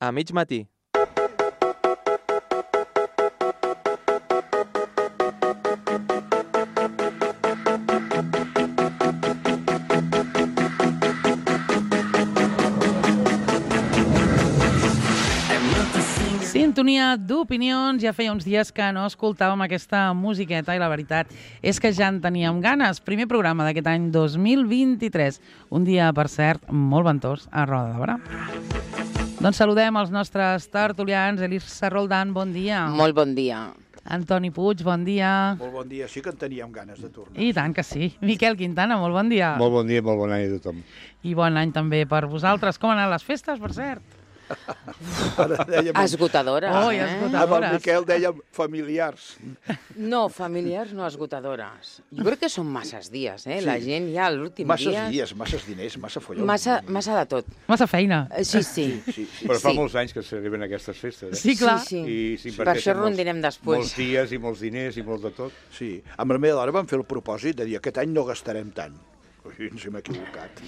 a mig matí. Sintonia d'opinions. Ja feia uns dies que no escoltàvem aquesta musiqueta i la veritat és que ja en teníem ganes. Primer programa d'aquest any 2023. Un dia, per cert, molt ventós a Roda de Berà. Doncs saludem els nostres tertulians. Elisa Roldán, bon dia. Molt bon dia. Antoni Puig, bon dia. Molt bon dia, sí que en teníem ganes de tornar. I tant que sí. Miquel Quintana, molt bon dia. Molt bon dia, molt bon any a tothom. I bon any també per vosaltres. Com han anat les festes, per cert? Esgotadores. Oi, esgotadores. Amb el Miquel dèiem familiars. No, familiars no, esgotadores. Jo crec que són masses dies, eh? La gent ja a l'últim dia... Masses dies, masses diners, massa folló. Massa de tot. Massa feina. Sí, sí. Però fa molts anys que s'arriben aquestes festes, eh? Sí, clar. Sí. Per això rondirem després. Molts dies i molts diners i molt de tot. Sí, amb la meva dona vam fer el propòsit de dir aquest any no gastarem tant. Ui, ens hem equivocat.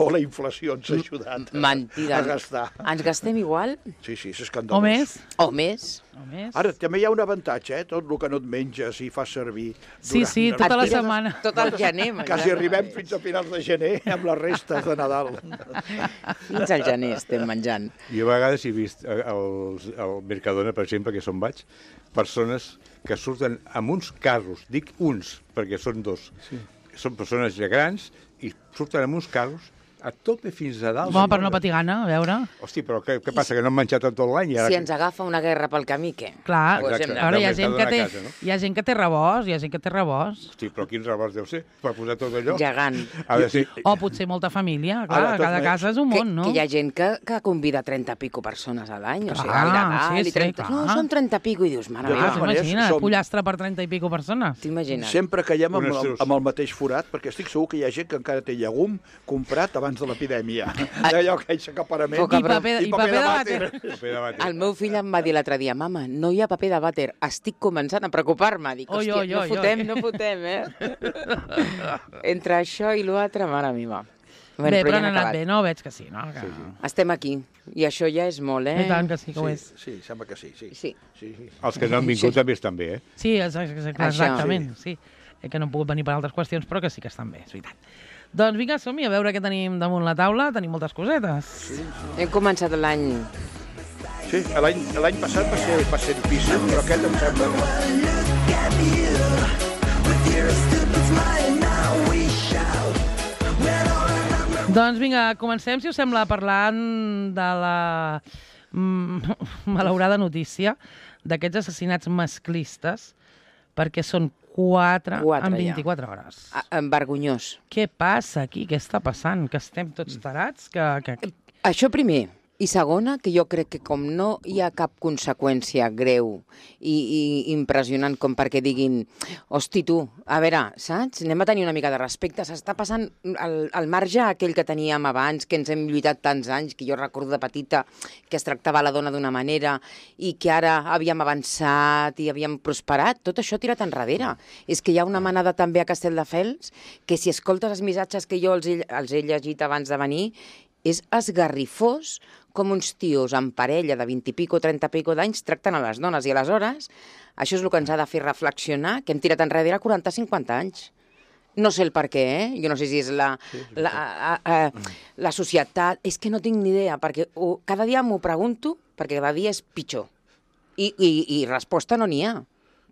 O la inflació ens ha ajudat Mentida. a gastar. Ens gastem igual? Sí, és escandalós. O més? O més? O més? Ara, també hi ha un avantatge, tot el que no et menges i fas servir. Sí, tota la setmana. Tot el gener. Quasi arribem fins a finals de gener amb les restes de Nadal. Fins al gener estem menjant. Jo a vegades he vist al Mercadona, per exemple, que on vaig, persones que surten amb uns carros, dic uns, perquè són dos, són persones ja grans i surten amb uns carros a tope fins a dalt. Home, per no patir gana, a veure. Hosti, però què passa, que no han menjat tot l'any? Si ens agafa una guerra pel camí, què? Clar, Exacte. a veure, hi ha gent que té, Casa, no? hi ha gent que té rebost, Hosti, però quins rebots deu ser per posar tot allò? Gegant. Ha de ser... O potser molta família, clar, Ara, cada casa és un món, no? Que hi ha gent que convida 30 i pico persones a l'any, o sigui, Clar, al Nadal, sí, i 30... clar. No, són 30 i pico, i dius, mare De meva, totes maneres, Imagina't, som- pollastre per 30 i pico persones. t'imagines? Sempre caiem amb, Honesteus. amb el mateix forat, perquè estic segur que hi ha gent que encara té llegum comprat abans de l'epidèmia. D'allò que hi ha acaparament. Poca I paper de vàter. Paper de vàter. El meu fill em va dir l'altre dia, mama, no hi ha paper de vàter, estic començant a preocupar-me. Dic, Oi, hòstia, oi, oi, no fotem, Entre això i l'altre, mare meva. Bé, ja però han han anat acabat. bé, no? Veig que sí, no? Que... Estem aquí, i això ja és molt, I tant que sí que ho és. Sí, sembla que sí. Sí. Els que no han vingut també estan bé, eh? Sí, exactament, sí. Que no han pogut venir per altres qüestions, però que sí que estan bé, és veritat. Doncs vinga, som-hi, a veure què tenim damunt la taula. Tenim moltes cosetes. Hem començat l'any... Sí, l'any passat va ser difícil, però aquest em sembla que... Doncs vinga, comencem, si us sembla, parlant de la malaurada notícia d'aquests assassinats masclistes, perquè són 4 en 24 hores. Vergonyós. Què passa aquí? Què està passant? Que estem tots tarats? Això primer. I segona, que jo crec que com no hi ha cap conseqüència greu i impressionant com perquè diguin hosti, tu, a veure, saps? Anem a tenir una mica de respecte. S'està passant el marge aquell que teníem abans, que ens hem lluitat tants anys, que jo recordo de petita que es tractava la dona d'una manera i que ara havíem avançat i havíem prosperat. Tot això tirat enrere. És que hi ha una manada també a Castelldefels que si escoltes els missatges que jo els he llegit abans de venir és esgarrifós com uns tios en parella de 20 i pico, 30 i pico d'anys tracten a les dones. I aleshores, això és el que ens ha de fer reflexionar, que hem tirat enrere 40-50 anys. No sé el per què, Jo no sé si és la societat... És que no tinc ni idea, perquè cada dia m'ho pregunto, perquè cada dia és pitjor. I resposta no n'hi ha.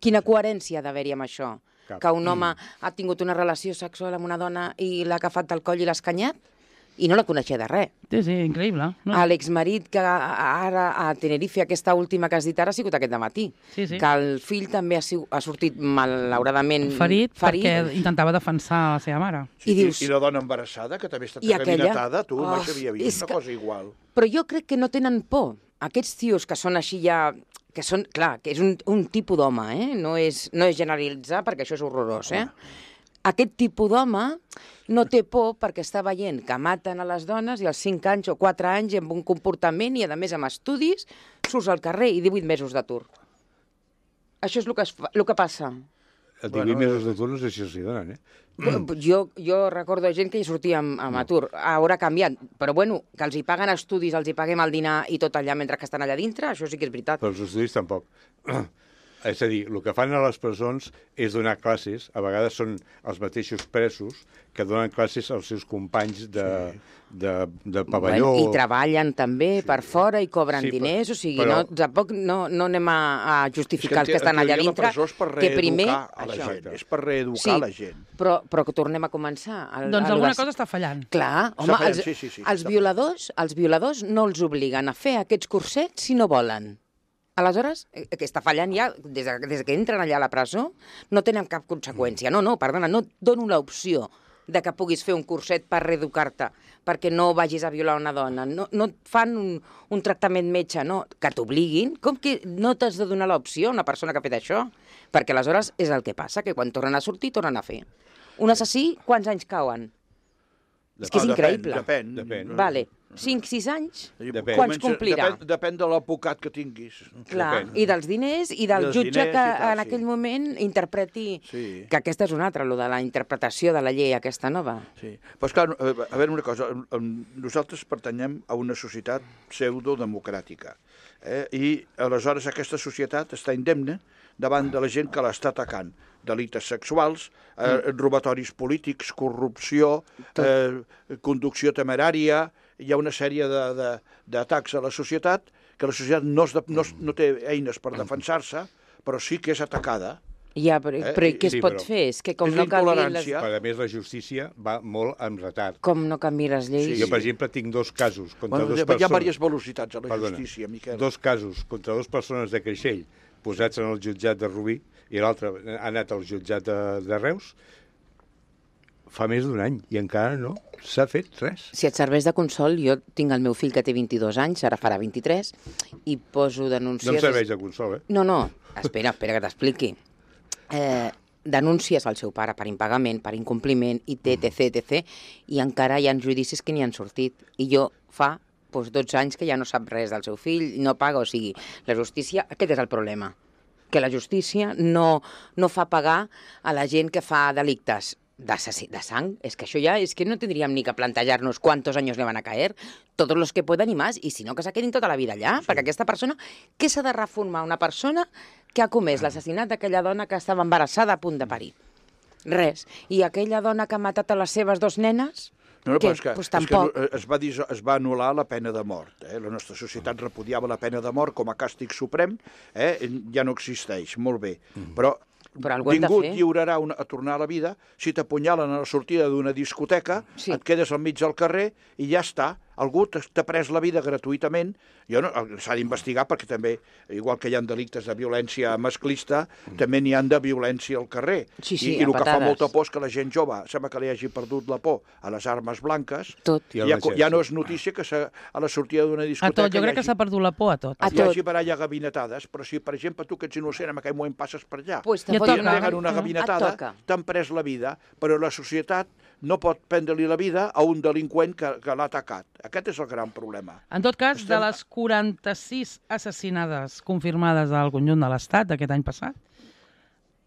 Quina coherència ha d'haver-hi amb això? Cap. Que un home ha tingut una relació sexual amb una dona i l'ha agafat del coll i l'ha escanyat? I no la coneixia de res. Sí, increïble. No? L'exmarit que ara a Tenerife, aquesta última que has dit ara, ha sigut aquest dematí. Sí. Que el fill també ha sortit malauradament Ferit perquè intentava defensar la seva mare. Sí, I dius... I la dona embarassada, que també està I aquella? caminatada, tu mai s'havia vist una cosa igual. Però jo crec que no tenen por. Aquests tios que són així ja... que són, clar, que és un tipus d'home, No és generalitzar, perquè això és horrorós, Aquest tipus d'home no té por perquè està veient que maten a les dones i als 5 anys o 4 anys amb un comportament i, a més, amb estudis, surts al carrer i 18 mesos d'atur. Això és el que passa. El 18 mesos d'atur no sé si els hi donen, Jo recordo gent que hi sortia amb atur. Ara ha canviat, però bueno, que els hi paguen estudis, els hi paguem el dinar i tot allà mentre que estan allà dintre, això sí que és veritat. Però els estudis tampoc. És a dir, el que fan a les presons és donar classes, a vegades són els mateixos presos que donen classes als seus companys de pavelló. I treballen també per fora i cobren diners, o sigui, tampoc no anem a justificar els que estan allà dintre. La presó és per reeducar a la gent, és per reeducar la gent. Però que tornem a començar. Doncs alguna cosa està fallant. Clar, home, els violadors no els obliguen a fer aquests cursets si no volen. Aleshores, que està fallant ja, des que entren allà a la presó, no tenen cap conseqüència. No, perdona, no et dono l'opció de que puguis fer un curset per reeducar-te, perquè no vagis a violar una dona. No et fan un tractament metge, no, que t'obliguin. Com que no t'has de donar l'opció a una persona que ha fet això? Perquè aleshores és el que passa, que quan tornen a sortir, tornen a fer. Un assassí, quants anys cauen? És que és increïble. Depèn. Vale. 5-6 anys? Quants complirà? Depèn de l'advocat que tinguis. Clar, i dels diners, i del jutge que en aquell moment interpreti... Que aquesta és una altra, lo de la interpretació de la llei aquesta nova. Sí, però esclar, a veure una cosa, nosaltres pertanyem a una societat pseudodemocràtica, i aleshores aquesta societat està indemne davant de la gent que l'està atacant. Delictes sexuals, robatoris polítics, corrupció, conducció temerària. Hi ha una sèrie d'atacs a la societat que la societat no té eines per defensar-se, però sí que és atacada. Ja, però què es pot fer? És que com no canvien les... Però a més la justícia va molt amb retard. Com no canvien les lleis? Jo, per exemple, tinc 2 casos contra 2 persones... Hi ha diverses velocitats a la justícia, Miquel. 2 casos contra 2 persones de Creixell posats en el jutjat de Rubí i l'altre ha anat al jutjat de Reus fa més d'1 any i encara no s'ha fet res. Si et serveix de consol, jo tinc el meu fill que té 22 anys, ara farà 23, i poso denúncies... No em serveix de consol, No, espera que t'expliqui. Denúncies al seu pare per impagament, per incompliment, etc, i encara hi ha judicis que n'hi han sortit. I jo fa 12 anys que ja no sap res del seu fill, no paga, o sigui, la justícia... Aquest és el problema, que la justícia no fa pagar a la gent que fa delictes de sang. És que això ja és que no tindríem ni que plantejar-nos quantos años le van a caer, todos los que puedan y más, i si no, que se quedin tota la vida allà, perquè aquesta persona... Què s'ha de reformar una persona que ha comès l'assassinat d'aquella dona que estava embarassada a punt de parir? Res. I aquella dona que ha matat a les seves 2 nenes... No, però és que es va anul·lar la pena de mort. La nostra societat repudiava la pena de mort com a càstig suprem, ja no existeix, molt bé. Però ningú et lliurarà a tornar a la vida si t'apunyalen a la sortida d'una discoteca, et quedes al mig del carrer i ja està. Algú t'ha pres la vida gratuïtament. S'ha d'investigar perquè també, igual que hi ha delictes de violència masclista, també n'hi ha de violència al carrer. I el que fa molta por és que la gent jove sembla que li hagi perdut la por a les armes blanques. Ja no és notícia que a la sortida d'una discoteca... A tot, jo crec que s'ha perdut la por a tot. Hi hagi per allà gabinetades, però si, per exemple, tu que ets innocent en aquell moment passes per allà i et peguen una gabinetada, t'han pres la vida, però la societat no pot prendre-li la vida a un delinqüent que l'ha atacat. Aquest és el gran problema. En tot cas, de les 46 assassinades confirmades al conjunt de l'Estat aquest any passat,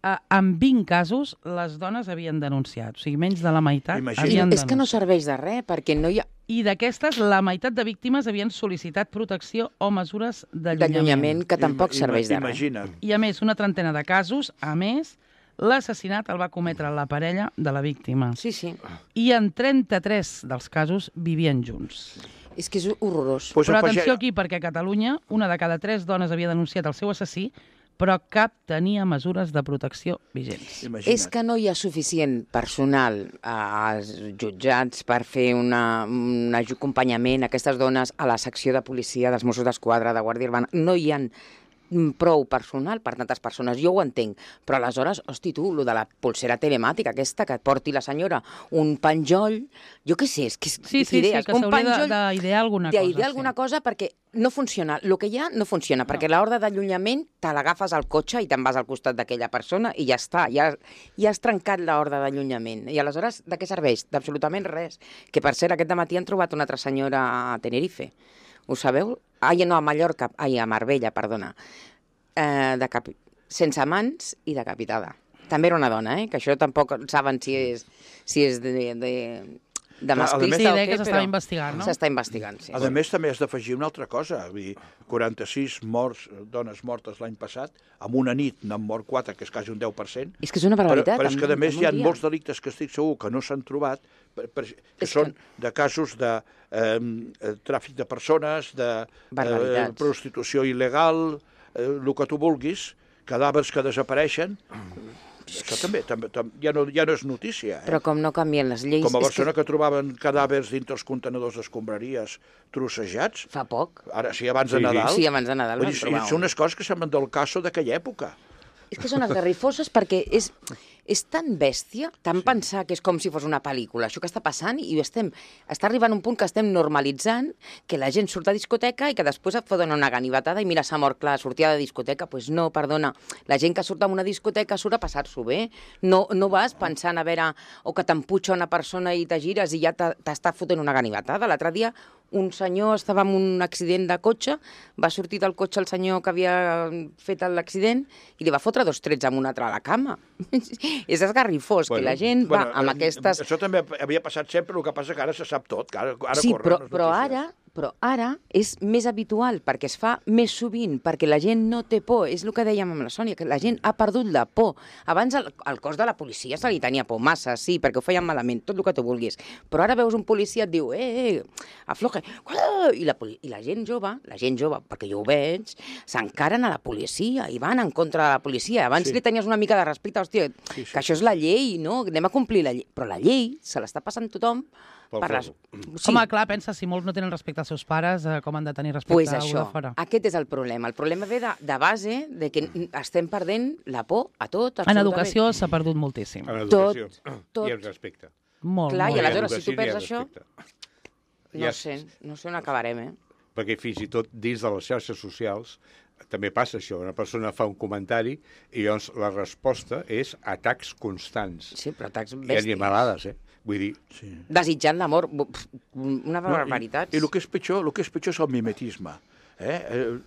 en 20 casos les dones havien denunciat. O sigui, menys de la meitat havien denunciat. És que no serveix de res, perquè no hi ha... I d'aquestes, la meitat de víctimes havien sol·licitat protecció o mesures d'allunyament. Que tampoc serveix de res. Imagina't. I a més, una trentena de casos, l'assassinat el va cometre la parella de la víctima. Sí. I en 33 dels casos vivien junts. És que és horrorós. Però atenció aquí, perquè a Catalunya una de cada 3 dones havia denunciat el seu assassí, però cap tenia mesures de protecció vigents. És que no hi ha suficient personal als jutjats per fer un acompanyament a aquestes dones a la secció de policia dels Mossos d'Esquadra, de Guàrdia Urbana. No hi ha prou personal per tantes persones. Jo ho entenc, però aleshores, hosti tu, lo de la pulsera telemàtica aquesta, que et porti la senyora un penjoll, jo què sé, és que idees, que s'hauria d'idear alguna cosa. D'idear alguna cosa perquè no funciona. El que hi ha no funciona, perquè l'ordre d'allunyament te l'agafes al cotxe i te'n vas al costat d'aquella persona i ja està, ja has trencat l'ordre d'allunyament. I aleshores, de què serveix? D'absolutament res. Que, per cert, aquest dematí han trobat una altra senyora a Tenerife. Ho sabeu? A Mallorca, a Marbella, perdona. Sense mans i decapitada. També era una dona, que això tampoc saben si és de masclista o què, que s'estava investigant, no? S'està investigant, sí. A més, també has d'afegir una altra cosa. Vull dir, 46 dones mortes l'any passat, en una nit n'han mort 4, que és quasi un 10%. És que és una barbaritat. Però és que, a més, hi ha molts delictes que estic segur que no s'han trobat, que són de casos de tràfic de persones, de prostitució il·legal, el que tu vulguis, cadàvers que desapareixen. Això també ja no és notícia. Però com no canvien les lleis... Com a Barcelona que trobaven cadàvers dintre els contenedors d'escombraries trossejats. Fa poc. Ara, sí, abans de Nadal. Sí, abans de Nadal vam trobar. Són unes coses que semblen del caso d'aquella època. És que són esgarrifoses perquè és tan bèstia, tan pensar que és com si fos una pel·lícula, això que està passant, i està arribant un punt que estem normalitzant que la gent surt a discoteca i que després et foten una ganivetada i mira, s'ha mort, clar, sortia de discoteca. Doncs no, perdona, la gent que surt a una discoteca surt a passar-s'ho bé. No vas pensant a veure, o que t'emputxa una persona i te gires i ja t'està fotent una ganivetada. L'altre dia un senyor estava en un accident de cotxe, va sortir del cotxe el senyor que havia fet l'accident i li va fotre 2 trets amb un altre a la cama. És esgarrifós, que la gent va amb aquestes... Això també havia passat sempre, el que passa que ara se sap tot. Sí, però ara és més habitual, perquè es fa més sovint, perquè la gent no té por. És el que dèiem amb la Sònia, que la gent ha perdut la por. Abans al cos de la policia se li tenia por massa, sí, perquè ho feien malament, tot el que tu vulguis. Però ara veus un policia et diu, afloja, i la gent jove, perquè jo ho veig, s'encaren a la policia i van en contra de la policia. Abans li tenies una mica de respecte, hòstia, que això és la llei, no? Anem a complir la llei. Però la llei se l'està passant tothom per les... Sí. Home, clar, pensa, si molts no tenen respecte als seus pares, com han de tenir respecte a algú de fora? Aquest és el problema. El problema ve de base de que estem perdent la por a tot. En educació s'ha perdut moltíssim. En educació i en respecte. Molt, clar, molt. I aleshores, si tu perds això, no sé on acabarem, Perquè fins i tot dins de les xarxes socials també passa això. Una persona fa un comentari i llavors la resposta és atacs constants. Sí, però atacs bèsties. I animalades, Vull dir... Desitjant la mort, una barbaritat. I el que és pitjor és el mimetisme.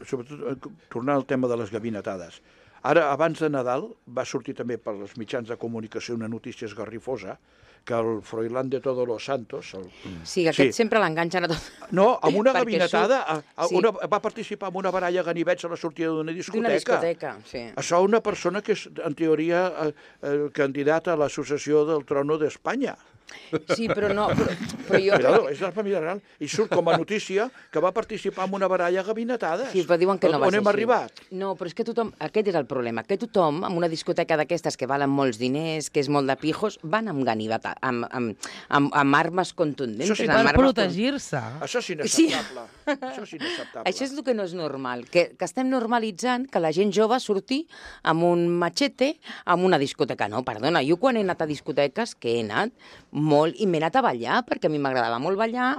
Sobretot, tornant al tema de les gabinetades. Ara, abans de Nadal, va sortir també per els mitjans de comunicació una notícia esgarrifosa, que el Froilán de Todos los Santos... Sí, aquest sempre l'enganxen a tot. No, amb una gabinetada, va participar en una baralla a ganivets a la sortida d'una discoteca. D'una discoteca, sí. Això una persona que és, en teoria, candidata a l'associació del Trono d'Espanya. Sí, però no... Però jo... Cuidado, és de la família real. I surt com a notícia que va participar en una baralla a gabinetades. Sí, però diuen que no va ser així. On hem arribat? No, però és que tothom... Aquest és el problema, que tothom, en una discoteca d'aquestes que valen molts diners, que és molt de pijos, van amb ganiveta, amb armes contundents. Això sí, per protegir-se. Això és inacceptable. Això és el que no és normal, que estem normalitzant que la gent jove surti amb un machete amb una discoteca. No, perdona, jo quan he anat a discoteques, que he anat molt, i m'he anat a ballar, perquè a mi m'agrada molt ballar,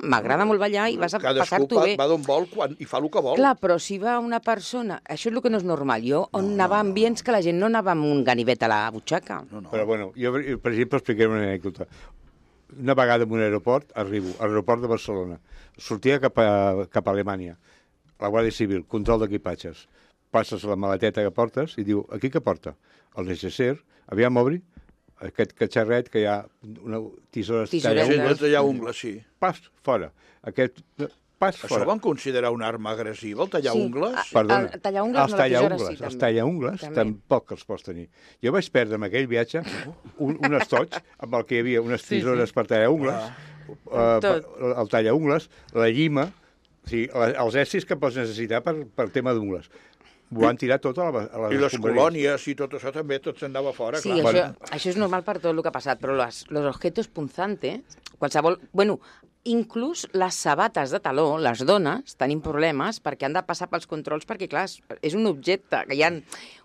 i vas a passar-t'ho bé. Cadascú va d'on vol i fa el que vol. Clar, però si va una persona... Això és el que no és normal. Jo anava a ambients que la gent no anava amb un ganivet a la butxaca. Però bueno, jo, per exemple, explicaré una anècdota. Una vegada en un aeroport, arribo, a l'aeroport de Barcelona, sortia cap a Alemanya, la Guàrdia Civil, control d'equipatges, passes la maleteta que portes i diu, aquí què porta? El necesser, aviam obri, aquest catxarret que hi ha una tisores tallaungles, sí. Pas fora. Això van considerar una arma agressiva, el tallaungles? Perdona. El tallaungles no, la tisora sí, també. Els tallaungles tampoc els pots tenir. Jo vaig perdre en aquell viatge un estoig amb el que hi havia unes tisores per tallaungles, el tallaungles, la llima, els estris que pots necessitar per tema d'ungles. Ho van tirar tot a les I les colònies i tot això també, tot s'anava fora. Sí, això és normal per tot el que ha passat, però los objetos punzantes, qualsevol... Bueno, inclús les sabates de taló, les dones, tenim problemes perquè han de passar pels controls perquè, clar, és un objecte que hi ha...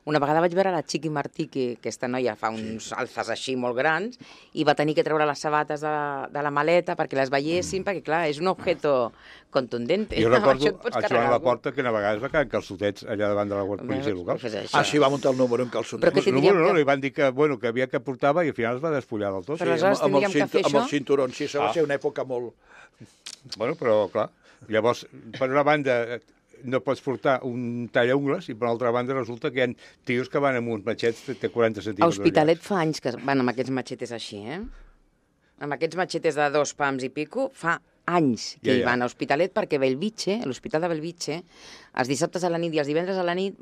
Una vegada vaig veure la Chiqui Martí, que aquesta noia fa uns alces així molt grans, i va tenir que treure les sabates de la maleta perquè les veiessin, perquè, clar, és un objeto contundente. Jo recordo a Joan Laporta que una vegada es va quedar en calçotets allà davant de la policia local. Sí, va muntar el número en calçotets. No, li van dir que havia que portava i al final es va despullar del tot. Però aleshores tindríem que fer això? Amb els cinturons, sí, això va ser una època molt... Bueno, però, clar, llavors, per una banda, no pots portar un tallaungles i per l'altra banda resulta que hi ha tios que van amb uns matxets de 40 centímetres. A Hospitalet fa anys que van amb aquests matxetes així, Amb aquests matxetes de 2 pams i pico, fa anys que hi van a Hospitalet perquè l'Hospital de Bellvitge, els dissabtes a la nit i els divendres a la nit,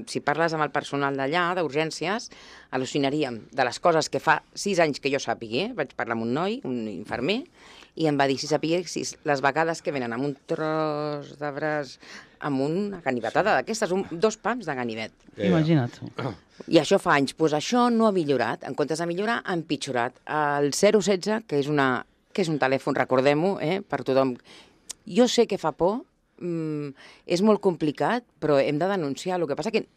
si parles amb el personal d'allà, d'urgències, al·lucinaríem de les coses que fa 6 anys que jo sàpigui, vaig parlar amb un noi, un infermer, i em va dir si sapiguessis les vegades que venen amb un tros de braç, amb una ganivetada d'aquestes, 2 pams de ganivet. Imagina't. I això fa anys. Doncs això no ha millorat. En comptes de millorar, ha empitjorat. El 016, que és un telèfon, recordem-ho, per tothom. Jo sé que fa por, és molt complicat, però hem de denunciar. El que passa que,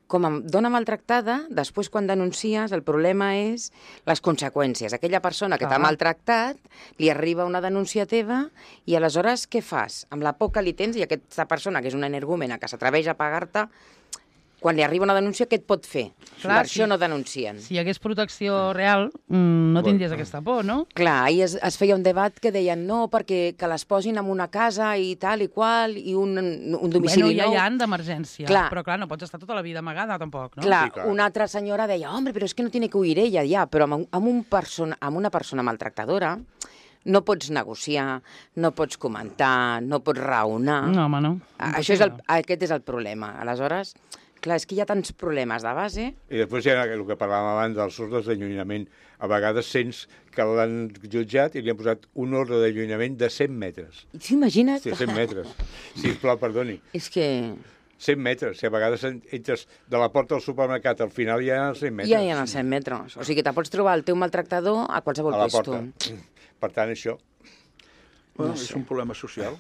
com a dona maltractada, després quan denuncies, el problema és les conseqüències. Aquella persona que t'ha maltractat, li arriba una denúncia teva i aleshores què fas? Amb la por que li tens i aquesta persona, que és una energúmena, que s'atreveix a pagar-te, quan li arriba una denúncia, què et pot fer? Clar, per això no denuncien. Si hi hagués protecció real, no tindries aquesta por, no? Clar, ahir es feia un debat que deien no, perquè que les posin en una casa i tal i qual, i un domicili nou. Ja hi han d'emergència, però clar, no pots estar tota la vida amagada, tampoc, no? Clar, una altra senyora deia, hombre, però és que no tiene que huir ella, ja, però amb una persona maltractadora no pots negociar, no pots comentar, no pots raonar. No, home, no. Aquest és el problema. Aleshores, clar, és que hi ha tants problemes de base. I després hi ha el que parlàvem abans dels ordres d'allunyament. A vegades sents que l'han jutjat i li han posat un ordre d'allunyament de 100 metres. T'imagines? Sí, 100 metres. Sisplau, perdoni. És que... 100 metres. Si a vegades entres de la porta del supermercat, al final hi ha 100 metres. Ja hi ha 100 metres. O sigui que te pots trobar el teu maltractador a qualsevol puesto. Per tant, això... És un problema social.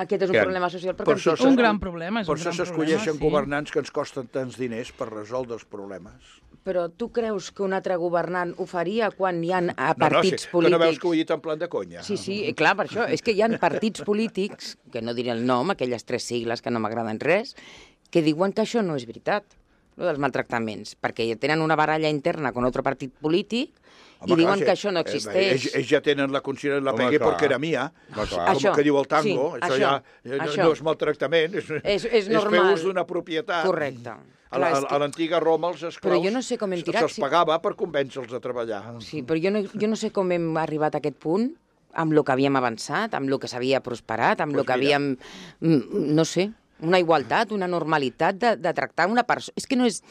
Aquest és un problema social perquè un gran problema. Per això s'escolleixen governants que ens costen tants diners per resoldre els problemes. Però tu creus que un altre governant ho faria quan hi ha partits polítics... Que no veus que ho he dit en plan de conya. Sí, clar, per això. És que hi ha partits polítics, que no diré el nom, aquelles 3 sigles que no m'agraden res, que diuen que això no és veritat, dels maltractaments, perquè tenen una baralla interna con otro partit polític i diuen que això no existeix. Ells ja tenen la consciència, la pegué perquè era mia, com que diu el tango, això ja no és maltractament, és fer ús d'una propietat. Correcte. A l'antiga Roma els esclaus se'ls pagava per convèncer-los a treballar. Sí, però jo no sé com hem arribat a aquest punt, amb el que havíem avançat, amb el que s'havia prosperat, amb el que havíem... No sé, una igualtat, una normalitat de tractar una persona... És que no és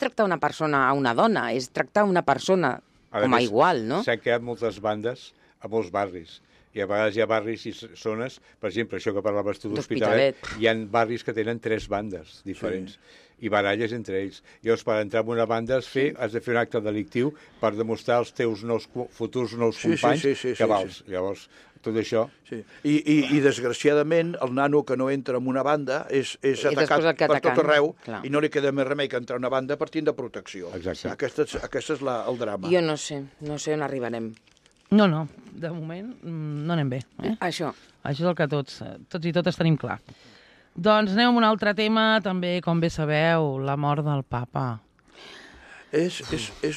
tractar una persona a una dona, és tractar una persona com a igual, no? S'han creat moltes bandes a molts barris. I a vegades hi ha barris i zones, per exemple, això que parlaves tu d'Hospitalet, hi ha barris que tenen 3 bandes diferents. I baralles entre ells. Llavors, per entrar en una banda has de fer un acte delictiu per demostrar als teus futurs nous companys que vals. Llavors, tot això... I desgraciadament, el nano que no entra en una banda és atacat per tot arreu i no li queda més remei que entrar en una banda per tindre protecció. Exacte. Aquest és el drama. Jo no sé on arribarem. No, de moment no anem bé. Això és el que tots i totes tenim clar. Doncs anem amb un altre tema, també, com bé sabeu, la mort del papa. És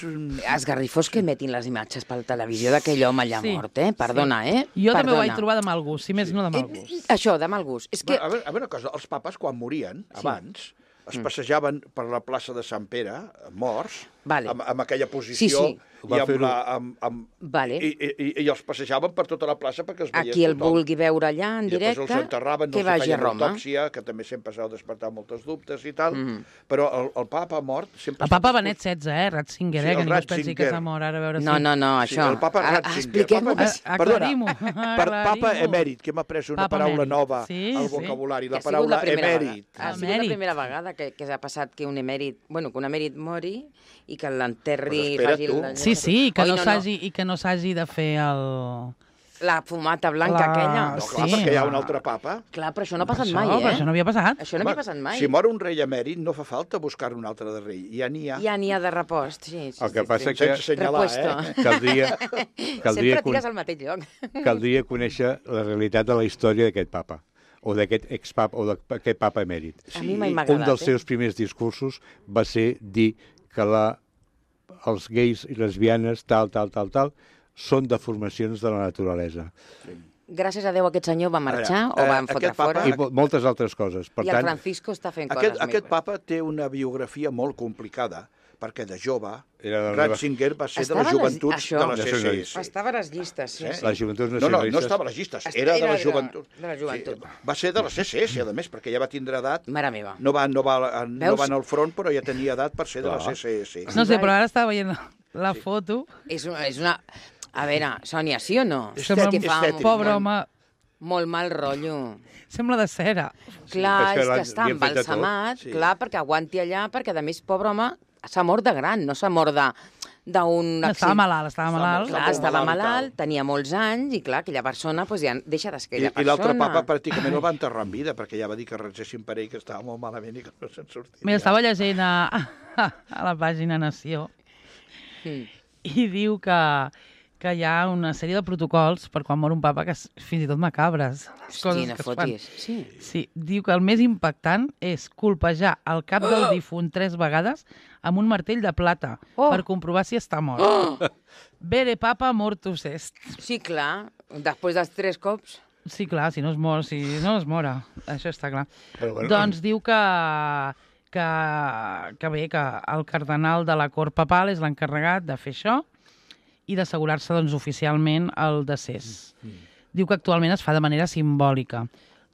un... Esgarrifós que emetin les imatges per la televisió d'aquell home allà mort, Perdona, Jo també ho vaig trobar de mal gust, si més no de mal gust. Això, de mal gust. És que... A veure una cosa, els papes quan morien, abans, es passejaven per la plaça de Sant Pere, morts, amb aquella posició... I els passejaven per tota la plaça perquè els veia tothom. Qui el vulgui veure allà en directe, i després els enterraven, que vagi a Roma. Autòpsia, que també sempre s'ha despertat moltes dubtes i tal, però el papa mort... El papa Benet XVI, Ratzinger, que ningú es pensi que s'ha mort ara a veure si... No, això... El papa Ratzinger. Aclarim-ho. Papa emèrit, que hem après una paraula nova al vocabulari, la paraula emèrit. Ha sigut la primera vegada que ha passat que un emèrit mori i que l'enterri... Sí, i que no s'hagi de fer la fumata blanca aquella. No, clar, perquè hi ha un altre papa. Clar, però això no ha passat mai, Això no havia passat. Això no havia passat mai. Si mor un rei emèrit, no fa falta buscar un altre de rei. Ja n'hi ha. Ja n'hi ha de repost, sí. El que passa que... Sense assenyalar, Sempre tires al mateix lloc. Caldria conèixer la realitat de la història d'aquest papa o d'aquest expapa, o d'aquest papa emèrit. A mi mai m'ha agradat. Un dels seus primers discursos va ser dir que els gais i lesbianes, tal, són deformacions de la naturalesa. gràcies a Déu, aquest senyor va marxar o van fotre fora. I moltes altres coses. I el Francisco està fent coses més. Aquest papa té una biografia molt complicada, perquè de jove, Ratzinger va ser de les joventuts de la CSS. Estava a les llistes, sí. Les joventuts nacionalistes. No estava a les llistes, era de les joventuts. Va ser de la CSS, a més, perquè ja va tindre edat. Mare meva. No va anar al front, però ja tenia edat per ser de la CSS. No sé, però ara estava veient la foto. És una... A veure, Sònia, sí o no? Pobre home. Molt mal rotllo. Sembla de cera. Clar, és que està embalsamat, clar, perquè aguanti allà, perquè, a més, pobre home, s'ha mort de gran, no s'ha mort d'un... Estava malalt. Clar, estava malalt, tenia molts anys, i clar, aquella persona ja deixa d'estar aquella persona. I l'altre papa pràcticament el va enterrar en vida, perquè ja va dir que regessin per ell, que estava molt malament i que no se'n sortia. Mira, estava llegint a la pàgina Nació i diu que hi ha una sèrie de protocols per quan mor un papa que fins i tot macabres. Hosti, no fotis. Sí, diu que el més impactant és colpejar el cap del difunt 3 vegades amb un martell de plata per comprovar si està mort. Vere papa mortus est. Sí, clar, després dels 3 cops. Sí, clar, si no es mor, això està clar. Doncs diu que bé, que el cardenal de la cort papal és l'encarregat de fer això i d'assegurar-se oficialment el decés. Diu que actualment es fa de manera simbòlica,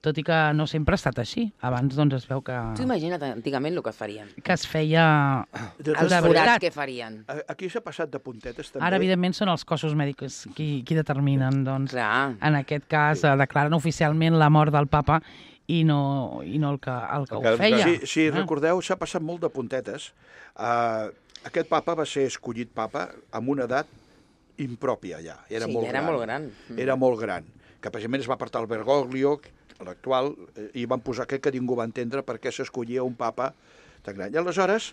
tot i que no sempre ha estat així. Abans es veu que... Tu imagina't antigament el que farien. Que es feia... Els forats que farien. Aquí s'ha passat de puntetes també. Ara, evidentment, són els cossos mèdics qui determinen, en aquest cas, declaren oficialment la mort del papa i no el que ho feia. Si recordeu, s'ha passat molt de puntetes. Aquest papa va ser escollit papa amb una edat impròpia ja. Era molt gran. Era molt gran. Que precisament es va apartar el Bergoglio, l'actual, i van posar aquest que ningú va entendre per què s'escollia un papa tan gran. I aleshores,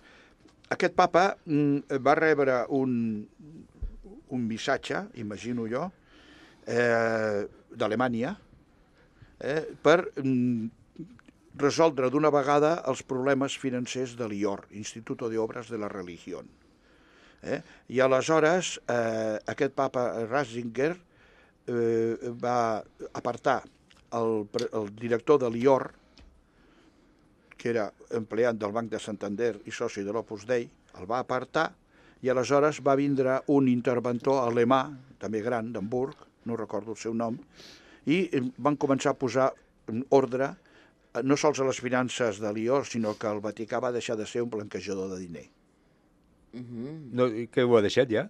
aquest papa va rebre un missatge, imagino jo, d'Alemanya, per resoldre d'una vegada els problemes financers de l'IOR, Instituto de Obras de la Religión. I aleshores aquest papa Ratzinger va apartar el director de l'IOR, que era empleat del Banc de Santander i soci de l'Opus Dei, el va apartar i aleshores va vindre un interventor alemà, també gran, d'Hamburg, no recordo el seu nom, i van començar a posar ordre no sols a les finances de l'IOR, sinó que el Vaticà va deixar de ser un blanquejador de diner. No, que ho ha deixat ja?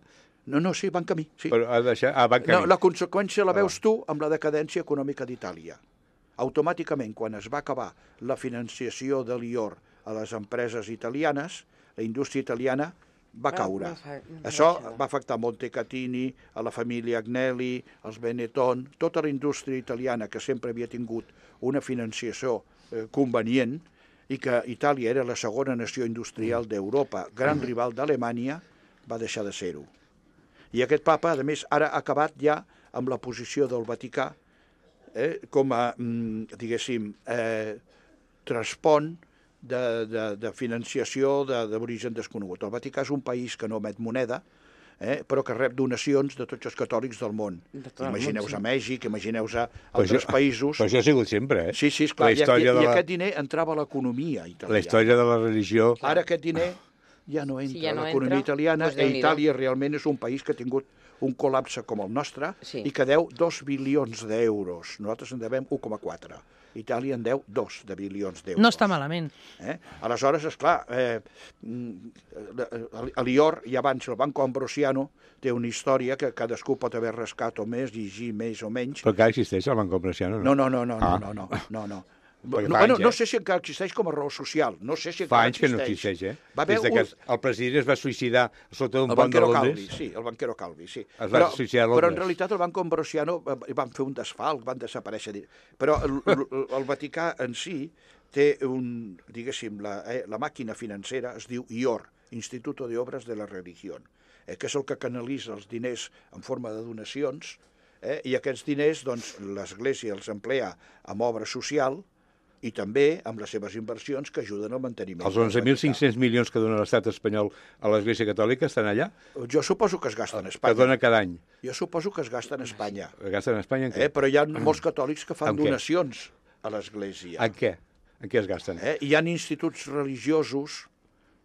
No, sí, va en camí. Sí. Però ha deixat... va en camí. No, la conseqüència la veus tu amb la decadència econòmica d'Itàlia. Automàticament, quan es va acabar la financiació de l'IOR a les empreses italianes, la indústria italiana va caure. Això va afectar Montecatini, a la família Agnelli, els Benetton, tota la indústria italiana que sempre havia tingut una financiació convenient i que Itàlia era la segona nació industrial d'Europa, gran rival d'Alemanya, va deixar de ser-ho. I aquest papa, a més, ara ha acabat ja amb la posició del Vaticà com a, diguéssim, transpont de financiació d'origen desconegut. El Vaticà és un país que no emet moneda, però que rep donacions de tots els catòlics del món. Imagineu-vos a Mèxic, imagineu-vos a altres països. Però això ha sigut sempre, Sí, esclar, i aquest diner entrava a l'economia italiana. La història de la religió... Ara aquest diner ja no entra a l'economia italiana, i Itàlia realment és un país que ha tingut un col·lapse com el nostre i que deu 2 bilions d'euros. Nosaltres en devem 1,4. Itàlia en deu 2 de bilions d'euros. No està malament. Aleshores, esclar, l'IOR i abans el Banco Ambrosiano té una història que cadascú pot haver rascat o més, llegir més o menys. Però encara existeix el Banco Ambrosiano, no? No. No sé si encara existeix com a raó social. No sé si encara existeix. Fa anys que no existeix, Des que el president es va suïcidar sota un pont de Londres. Sí, el banquero Calvi, sí. Es va suïcidar a Londres. Però en realitat el Banco Ambrosiano van fer un desfalc, van desaparèixer. Però el Vaticà en si té diguéssim, la màquina financera es diu IOR, Instituto de Obras de la Religión, que és el que canalitza els diners en forma de donacions, i aquests diners, doncs, l'Església els emplea amb obra social, i també amb les seves inversions que ajuden al manteniment. Els 11.500 milions que dona l'estat espanyol a l'Església Catòlica estan allà? Jo suposo que es gasten a Espanya. Que dona cada any? Jo suposo que es gasten a Espanya. Es gasten a Espanya en què? Però hi ha molts catòlics que fan donacions a l'Església. En què? En què es gasten? Hi ha instituts religiosos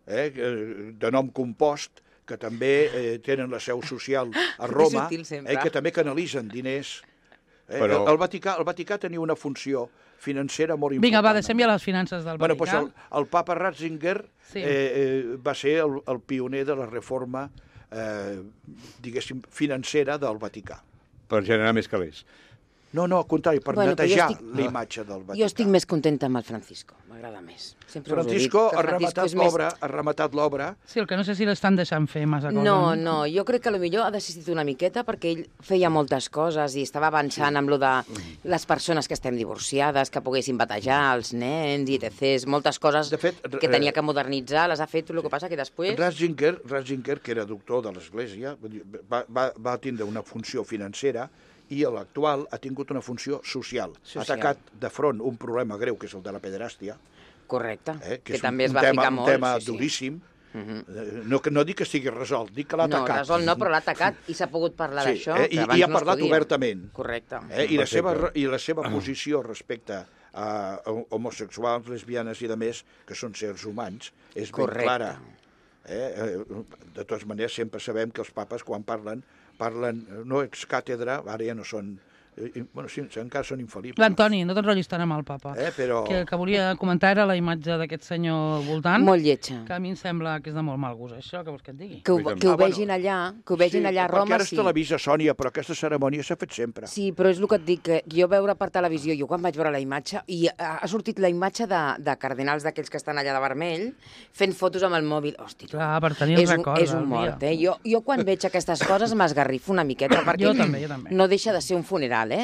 de nom compost que també tenen la seu social a Roma i que també canalitzen diners. Però... El Vaticà tenia una funció financera molt important. Vinga, va, deixem ja les finances del Vaticà. Doncs el papa Ratzinger va ser el pioner de la reforma, diguéssim, financera del Vaticà. Per generar més calés. No, al contrari, per netejar la imatge del Vaticà. Jo estic més contenta amb el Francisco, m'agrada més. Francisco ha rematat l'obra. Sí, el que no sé si l'estan deixant fer massa coses. No, jo crec que potser ha desistit una miqueta perquè ell feia moltes coses i estava avançant amb lo de les persones que estem divorciades, que poguessin batejar els nens i etc. Moltes coses que tenia que modernitzar, les ha fet, el que passa que després... Ratzinger, que era doctor de l'Església, va tindre una funció financera i l'actual ha tingut una funció social. Ha atacat de front un problema greu, que és el de la pederàstia. Correcte, que també es va ficar molt. Un tema duríssim. No dic que estigui resolt, dic que l'ha atacat. No, resolt no, però l'ha atacat i s'ha pogut parlar d'això. I ha parlat obertament. Correcte. I la seva posició respecte a homosexuals, lesbianes i demés, que són sers humans, és ben clara. De totes maneres, sempre sabem que els papes, quan parlen no ex càtedra, ara ja no són... Bueno, sí, encara són infal·libles. L'Antoni, no t'enrotllis tant amb el papa. Però... Que volia comentar era la imatge d'aquest senyor voltant. Molt lletja. Que a mi em sembla que és de molt mal gust, això, que vols que et digui. Que ho vegin allà, a Roma, perquè ara es televisa, Sònia, però aquesta cerimònia s'ha fet sempre. Sí, però és el que et dic, que jo veure per televisió, jo quan vaig veure la imatge, i ha sortit la imatge de cardenals d'aquells que estan allà de vermell, fent fotos amb el mòbil. Hosti, clar, per tenir el record. És un mort, Jo quan veig aquestes coses m'esgarrifo una miqueta, perquè jo també. No deixa de ser un funeral, no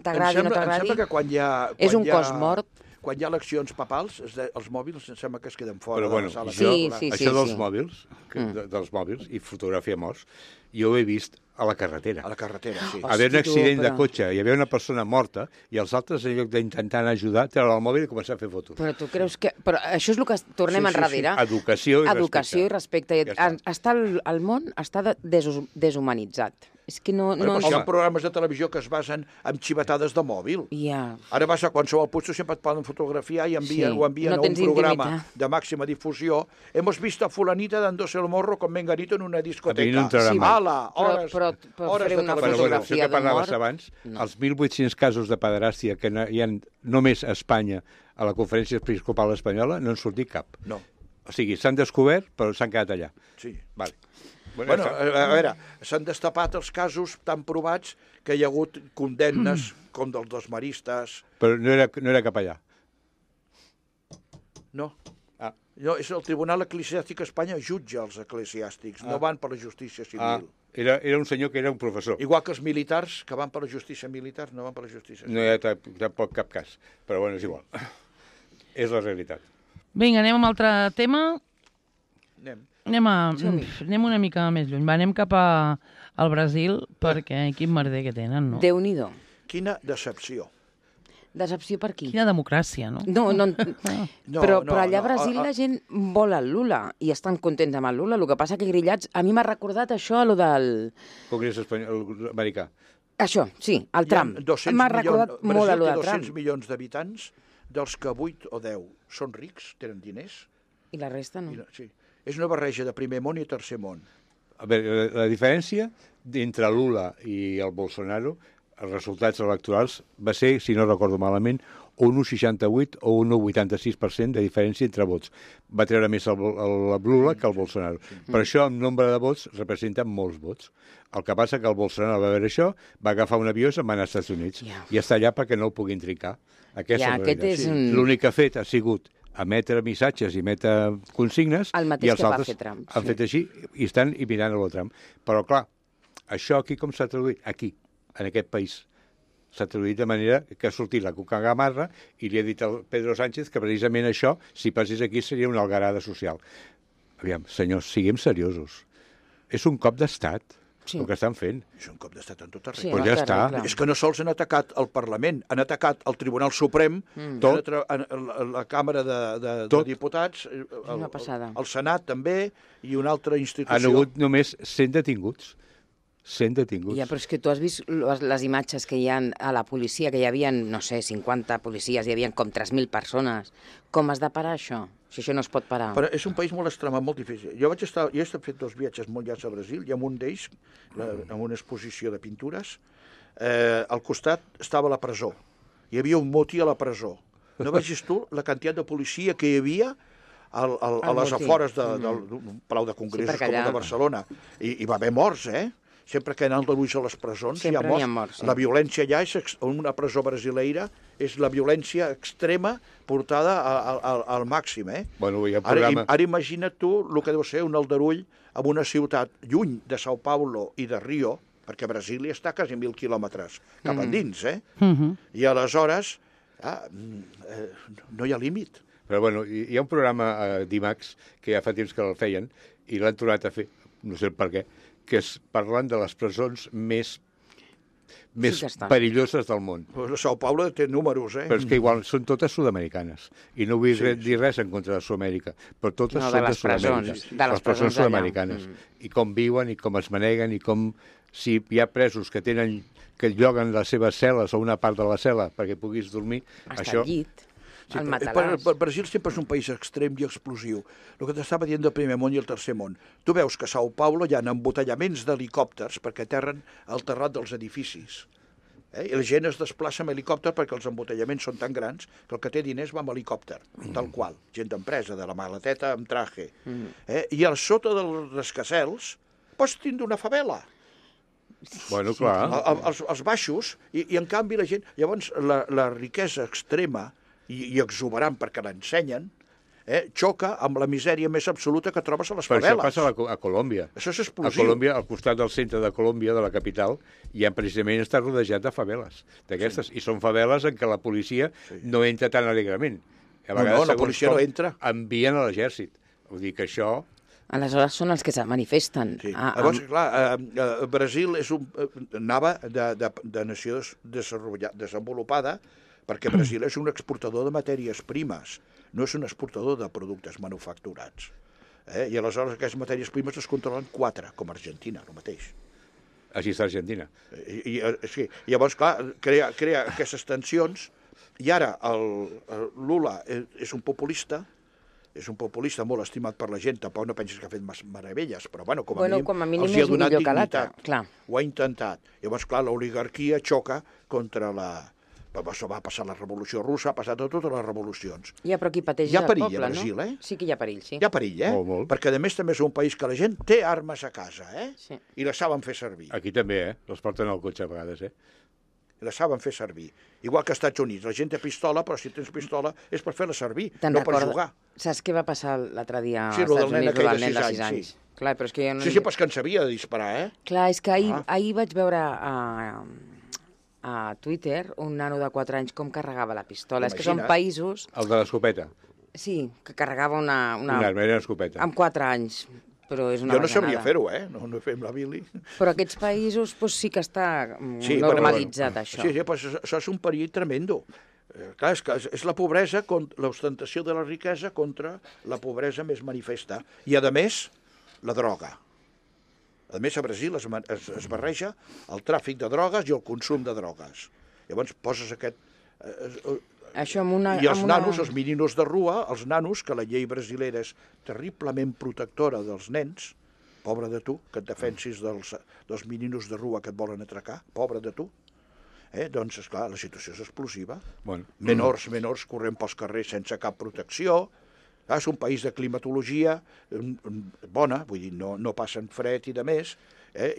t'agradi o no t'agradi. Em sembla que quan hi ha... És un cos mort. Quan hi ha eleccions papals, els mòbils em sembla que es queden fora de la sala. Això dels mòbils i fotografia morts, jo ho he vist a la carretera. A la carretera, sí. Haver un accident de cotxe, hi havia una persona morta i els altres, en lloc d'intentar ajudar, treure el mòbil i començar a fer fotos. Però tu creus que... Però això és el que tornem enrere. Educació i respecte. El món està deshumanitzat. És que no... Hi ha programes de televisió que es basen en xivetades de mòbil. Ara vas a qualsevol puesto, sempre et poden fotografiar i envien a un programa de màxima difusió. Hemos visto a fulanita dándose el morro con menganito en una discoteca. Però fer una fotografia això que parlaves abans, els 1.800 casos de pederàstia que hi ha només a Espanya a la Conferència Episcopal Espanyola no en sortit cap. No. O sigui, s'han descobert, però s'han quedat allà. Sí. Vale. Bueno, a veure, s'han destapat els casos tan provats que hi ha hagut condemnes com dels dos maristes. Però no era cap allà. No. No, és el Tribunal Eclesiàstic a Espanya jutja els eclesiàstics, no van per la justícia civil. Era un senyor que era un professor. Igual que els militars, que van per la justícia militar, no van per la justícia civil. No hi ha tampoc cap cas, però bueno, és igual. És la realitat. Vinga, anem amb altre tema. Anem. Anem una mica més lluny. Anem cap al Brasil, perquè quin merder que tenen, no? Déu-n'hi-do. Quina decepció. Decepció per qui? Quina democràcia, no? Però allà a Brasil la gent vol el Lula i estan contents amb el Lula. El que passa que grillats... A mi m'ha recordat això, allò del... Congrés americà. Això, sí, el Trump. M'ha recordat molt allò del Trump. Brasil té 200 milions d'habitants, dels que 8 o 10 són rics, tenen diners. I la resta no. Sí. És una barreja de primer món i tercer món. A veure, la diferència entre Lula i el Bolsonaro, els resultats electorals, va ser, si no recordo malament, un 1,68 o un 1,86% de diferència entre vots. Va treure més el Lula que el Bolsonaro. Per això, en nombre de vots, representen molts vots. El que passa que el Bolsonaro va veure això, va agafar un avió i se'n va anar als Estats Units. I està allà perquè no el puguin trincar. L'únic que ha fet ha sigut emetre missatges i emetre consignes i els altres han fet així i estan mirant el Trump. Però, clar, això aquí com s'ha traduït? Aquí, en aquest país. S'ha traduït de manera que ha sortit la Cuca Gamarra i li ha dit al Pedro Sánchez que precisament això, si passés aquí, seria una algarada social. Aviam, senyors, siguem seriosos. És un cop d'estat. el que estan fent. És un cop d'estat en tot arreu. Sí, Pues ja està. És que no sols han atacat el Parlament, han atacat el Tribunal Suprem, la Càmera de Diputats, el Senat també, i una altra institució. Han hagut només 100 detinguts. 100 detinguts. Ja, però és que tu has vist les imatges que hi ha a la policia, que hi havia, no sé, 50 policies, hi havia com 3.000 persones. Com has de parar això? Si això no es pot parar. Però és un país molt extremat, molt difícil. Jo he fet 2 viatges molt llargs a Brasil, i en un d'ells, en una exposició de pintures, al costat estava la presó. Hi havia un motí a la presó. No vegis tu la quantitat de policia que hi havia a les afores del Palau de Congressos com el de Barcelona. I va haver morts, Sempre que han d'ulls a les presons hi ha morts. La violència allà, una presó brasileira, és la violència extrema portada al màxim. Bueno, hi ha programa... Ara imagina't tu el que deu ser un aldarull en una ciutat lluny de São Paulo i de Rio, perquè Brasília està quasi 1.000 quilòmetres cap endins, I aleshores no hi ha límit. Però bueno, hi ha un programa d'IMAX que ja fa temps que el feien i l'han tornat a fer, no sé per què, que és parlant de les presons més perilloses del món. Pues São Paulo té números, Però és que igual són totes sud-americanes. I no vull dir res en contra de Sud-amèrica, però totes són de Sud-amèrica. De les presons sud-americanes. I com viuen, i com es maneguen, i com si hi ha presos que lloguen les seves cel·les o una part de la cel·la perquè puguis dormir. Està al llit. Sí, Brasil sempre és un país extrem i explosiu. El que t'estava dient del primer món i el tercer món. Tu veus que a São Paulo hi ha embotellaments d'helicòpters perquè aterren al terrat dels edificis. I la gent es desplaça amb helicòpter perquè els embotellaments són tan grans que el que té diners va amb helicòpter, tal qual. Gent d'empresa, de la maleteta amb traje. I al sota dels rascacels pots tindre una favela. Bueno, clar. Els baixos, i en canvi la gent... Llavors, la riquesa extrema i exuberant perquè l'ensenyen, xoca amb la misèria més absoluta que trobes a les faveles. Però això passa a Colòmbia. Això és explosiu. A Colòmbia, al costat del centre de Colòmbia, de la capital, ja precisament està rodejat de faveles d'aquestes. I són faveles en què la policia no entra tan alegrement. A vegades, la policia no entra. Envien a l'exèrcit. Vull dir que això... Aleshores són els que se manifesten. Llavors, clar, Brasil anava de nació desenvolupada, perquè Brasil és un exportador de matèries primes, no és un exportador de productes manufacturats. I aleshores aquestes matèries primes es controlen 4, com Argentina, el mateix. Així està Argentina. Sí. Llavors, clar, crea aquestes tensions, i ara el Lula és un populista molt estimat per la gent, tampoc no pensis que ha fet meravelles, però com a mínim els hi ha donat dignitat. Ho ha intentat. Llavors, clar, l'oligarquia xoca contra Això va passar la Revolució Russa, ha passat totes les revolucions. Ja, però qui pateix és el poble, no? Hi ha perill a Brasil, Sí que hi ha perill, sí. Hi ha perill, Molt. Perquè, a més, també és un país que la gent té armes a casa, Sí. I les saben fer servir. Aquí també, Les porten al cotxe a vegades, I les saben fer servir. Igual que als Estats Units. La gent té pistola, però si tens pistola és per fer-la servir, no per jugar. Saps què va passar l'altre dia als Estats Units amb el nen de 6 anys? Clar, però és que Sí, però és que en sabia de disparar, Clar, és que ahir vaig veure a Twitter un nano de 4 anys com carregava la pistola. És que són països... El de l'escopeta. Sí, que carregava una arma, era una escopeta. Amb 4 anys. Però és una jo no sabria fer-ho, no fem la Billy. Però aquests països sí que està normalitzat, això. Sí, però això és un perill tremendo. Clar, és la pobresa, l'ostentació de la riquesa contra la pobresa més manifesta. I, a més, la droga. A més, a Brasil es barreja el tràfic de drogues i el consum de drogues. Llavors poses aquest... I els nanos, els meninos de rua, els nanos, que la llei brasilera és terriblement protectora dels nens, pobre de tu, que et defensis dels meninos de rua que et volen atracar, pobre de tu. Doncs, esclar, la situació és explosiva. Menors corrent pels carrers sense cap protecció. És un país de climatologia bona, vull dir, no passen fred i de més,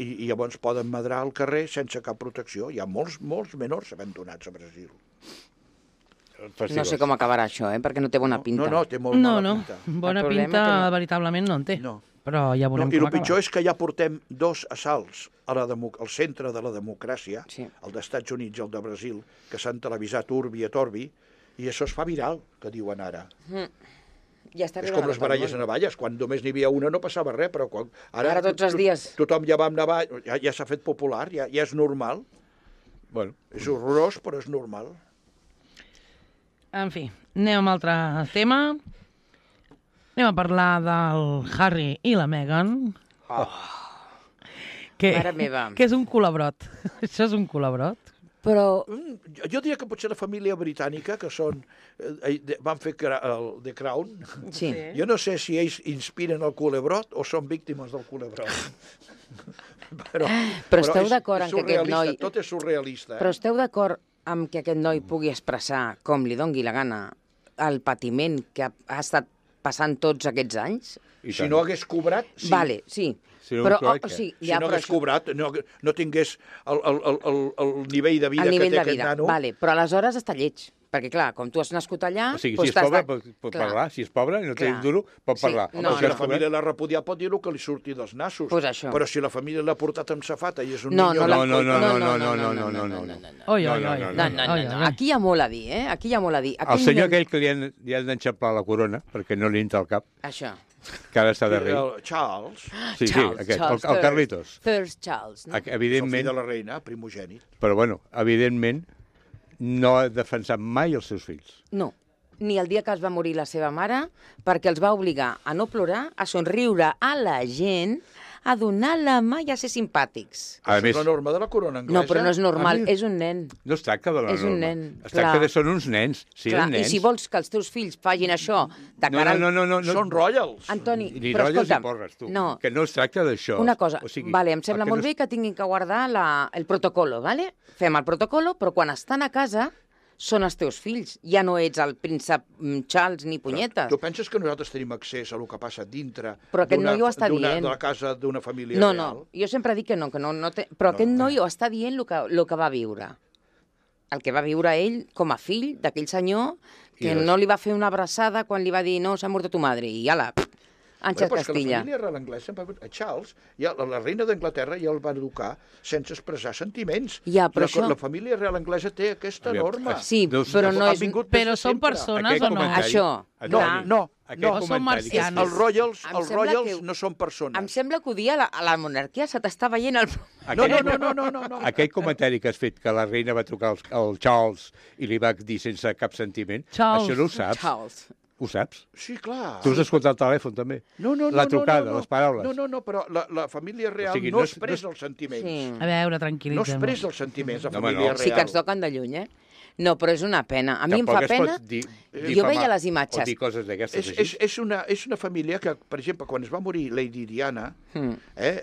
i llavors poden medrar al carrer sense cap protecció. Hi ha molts menors abandonats a Brasil. No sé com acabarà això, perquè no té bona pinta. No, té molt mala pinta. Bona pinta veritablement no en té. Però ja veurem com acaba. I el pitjor és que ja portem 2 assalts al centre de la democràcia, el dels Estats Units i el de Brasil, que s'han televisat urbi et orbi, i això es fa viral, que diuen ara. Ja està és com les baralles a navalles, quan només n'hi havia una no passava res, però ara tots els dies. Tothom ja va amb navall, ja s'ha fet popular, ja és normal. Bueno. És horrorós, però és normal. En fi, anem a un altre tema. Anem a parlar del Harry i la Meghan. Mare meva. Que és un culabrot. Això és un culabrot. Però... Jo diria que potser la família britànica, que són... van fer The Crown. Sí. Jo no sé si ells inspiren el culebrot o són víctimes del culebrot. Però esteu d'acord en que aquest noi... Tot és surrealista. Però esteu d'acord amb que aquest noi pugui expressar, com li dongui la gana, el patiment que ha estat passant tots aquests anys? Si no hagués cobrat, sí. Vale, sí. Si no hagués cobrat, no tingués el nivell de vida que té aquest nano... Vale, però aleshores està lleig. Perquè, clar, com tu has nascut allà... O sigui, si és pobre, pot parlar. Si és pobre i no té un duro, pot parlar. Si la família l'ha repudiat, pot dir el que li surti dels nassos. Però si la família l'ha portat amb safata i és un niño... No. Aquí hi ha molt a dir, eh? Aquí hi ha molt a dir. El senyor aquell que li han d'enxamplar la corona, perquè no li entra al cap. Això. Que ara està de rei. Charles. Sí, aquest, el Carlitos. First Charles, no? Evidentment... El fill de la reina, primogènit. Però, bueno, evidentment, no ha defensat mai els seus fills. No, ni el dia que es va morir la seva mare, perquè els va obligar a no plorar, a somriure a la gent, a donar la mà i a ser simpàtics. Això és la norma de la corona anglesa. No, però no és normal, és un nen. No es tracta de la norma. És un nen, es tracta de són uns nens. Clar, i si vols que els teus fills facin això... No. Són royals. Antoni, però escolta'm... Porres, tu. No. Que no es tracta d'això. Una cosa, vale, em sembla molt bé que tinguin que guardar el protocolo, vale? Fem el protocolo, però quan estan a casa són els teus fills. Ja no ets el príncep Charles ni punyetes. Tu penses que nosaltres tenim accés a lo que passa dintre de la casa d'una família real? No, jo sempre dic que no té... Però aquest noi ho està dient el que va viure. El que va viure ell com a fill d'aquell senyor que no li va fer una abraçada quan li va dir no, s'ha mort tu madre, i ala, Àngel Castilla. La família real anglesa, a Charles, la reina d'Anglaterra ja el va educar sense expressar sentiments. Ja, però la família real anglesa té aquesta norma. Sí, però no és... Però són persones o no? Això, no. Són marcians. Els royals no són persones. Em sembla que ho dia a la monarquia se t'està veient el... No. Aquell comentari que has fet, que la reina va trucar al Charles i li va dir sense cap sentiment, això no ho saps. Charles. Ho saps? Sí, clar. Tu has escoltat el telèfon, també? No. La trucada, les paraules. No, però la família real no expressa els sentiments. Sí. A veure, tranquil·litzem. No expressa els sentiments, la família real. Sí que ens toquen de lluny, eh? No, però és una pena. A mi em fa pena... Jo veia les imatges. O dir coses d'aquestes així. És una família que, per exemple, quan es va morir Lady Diana,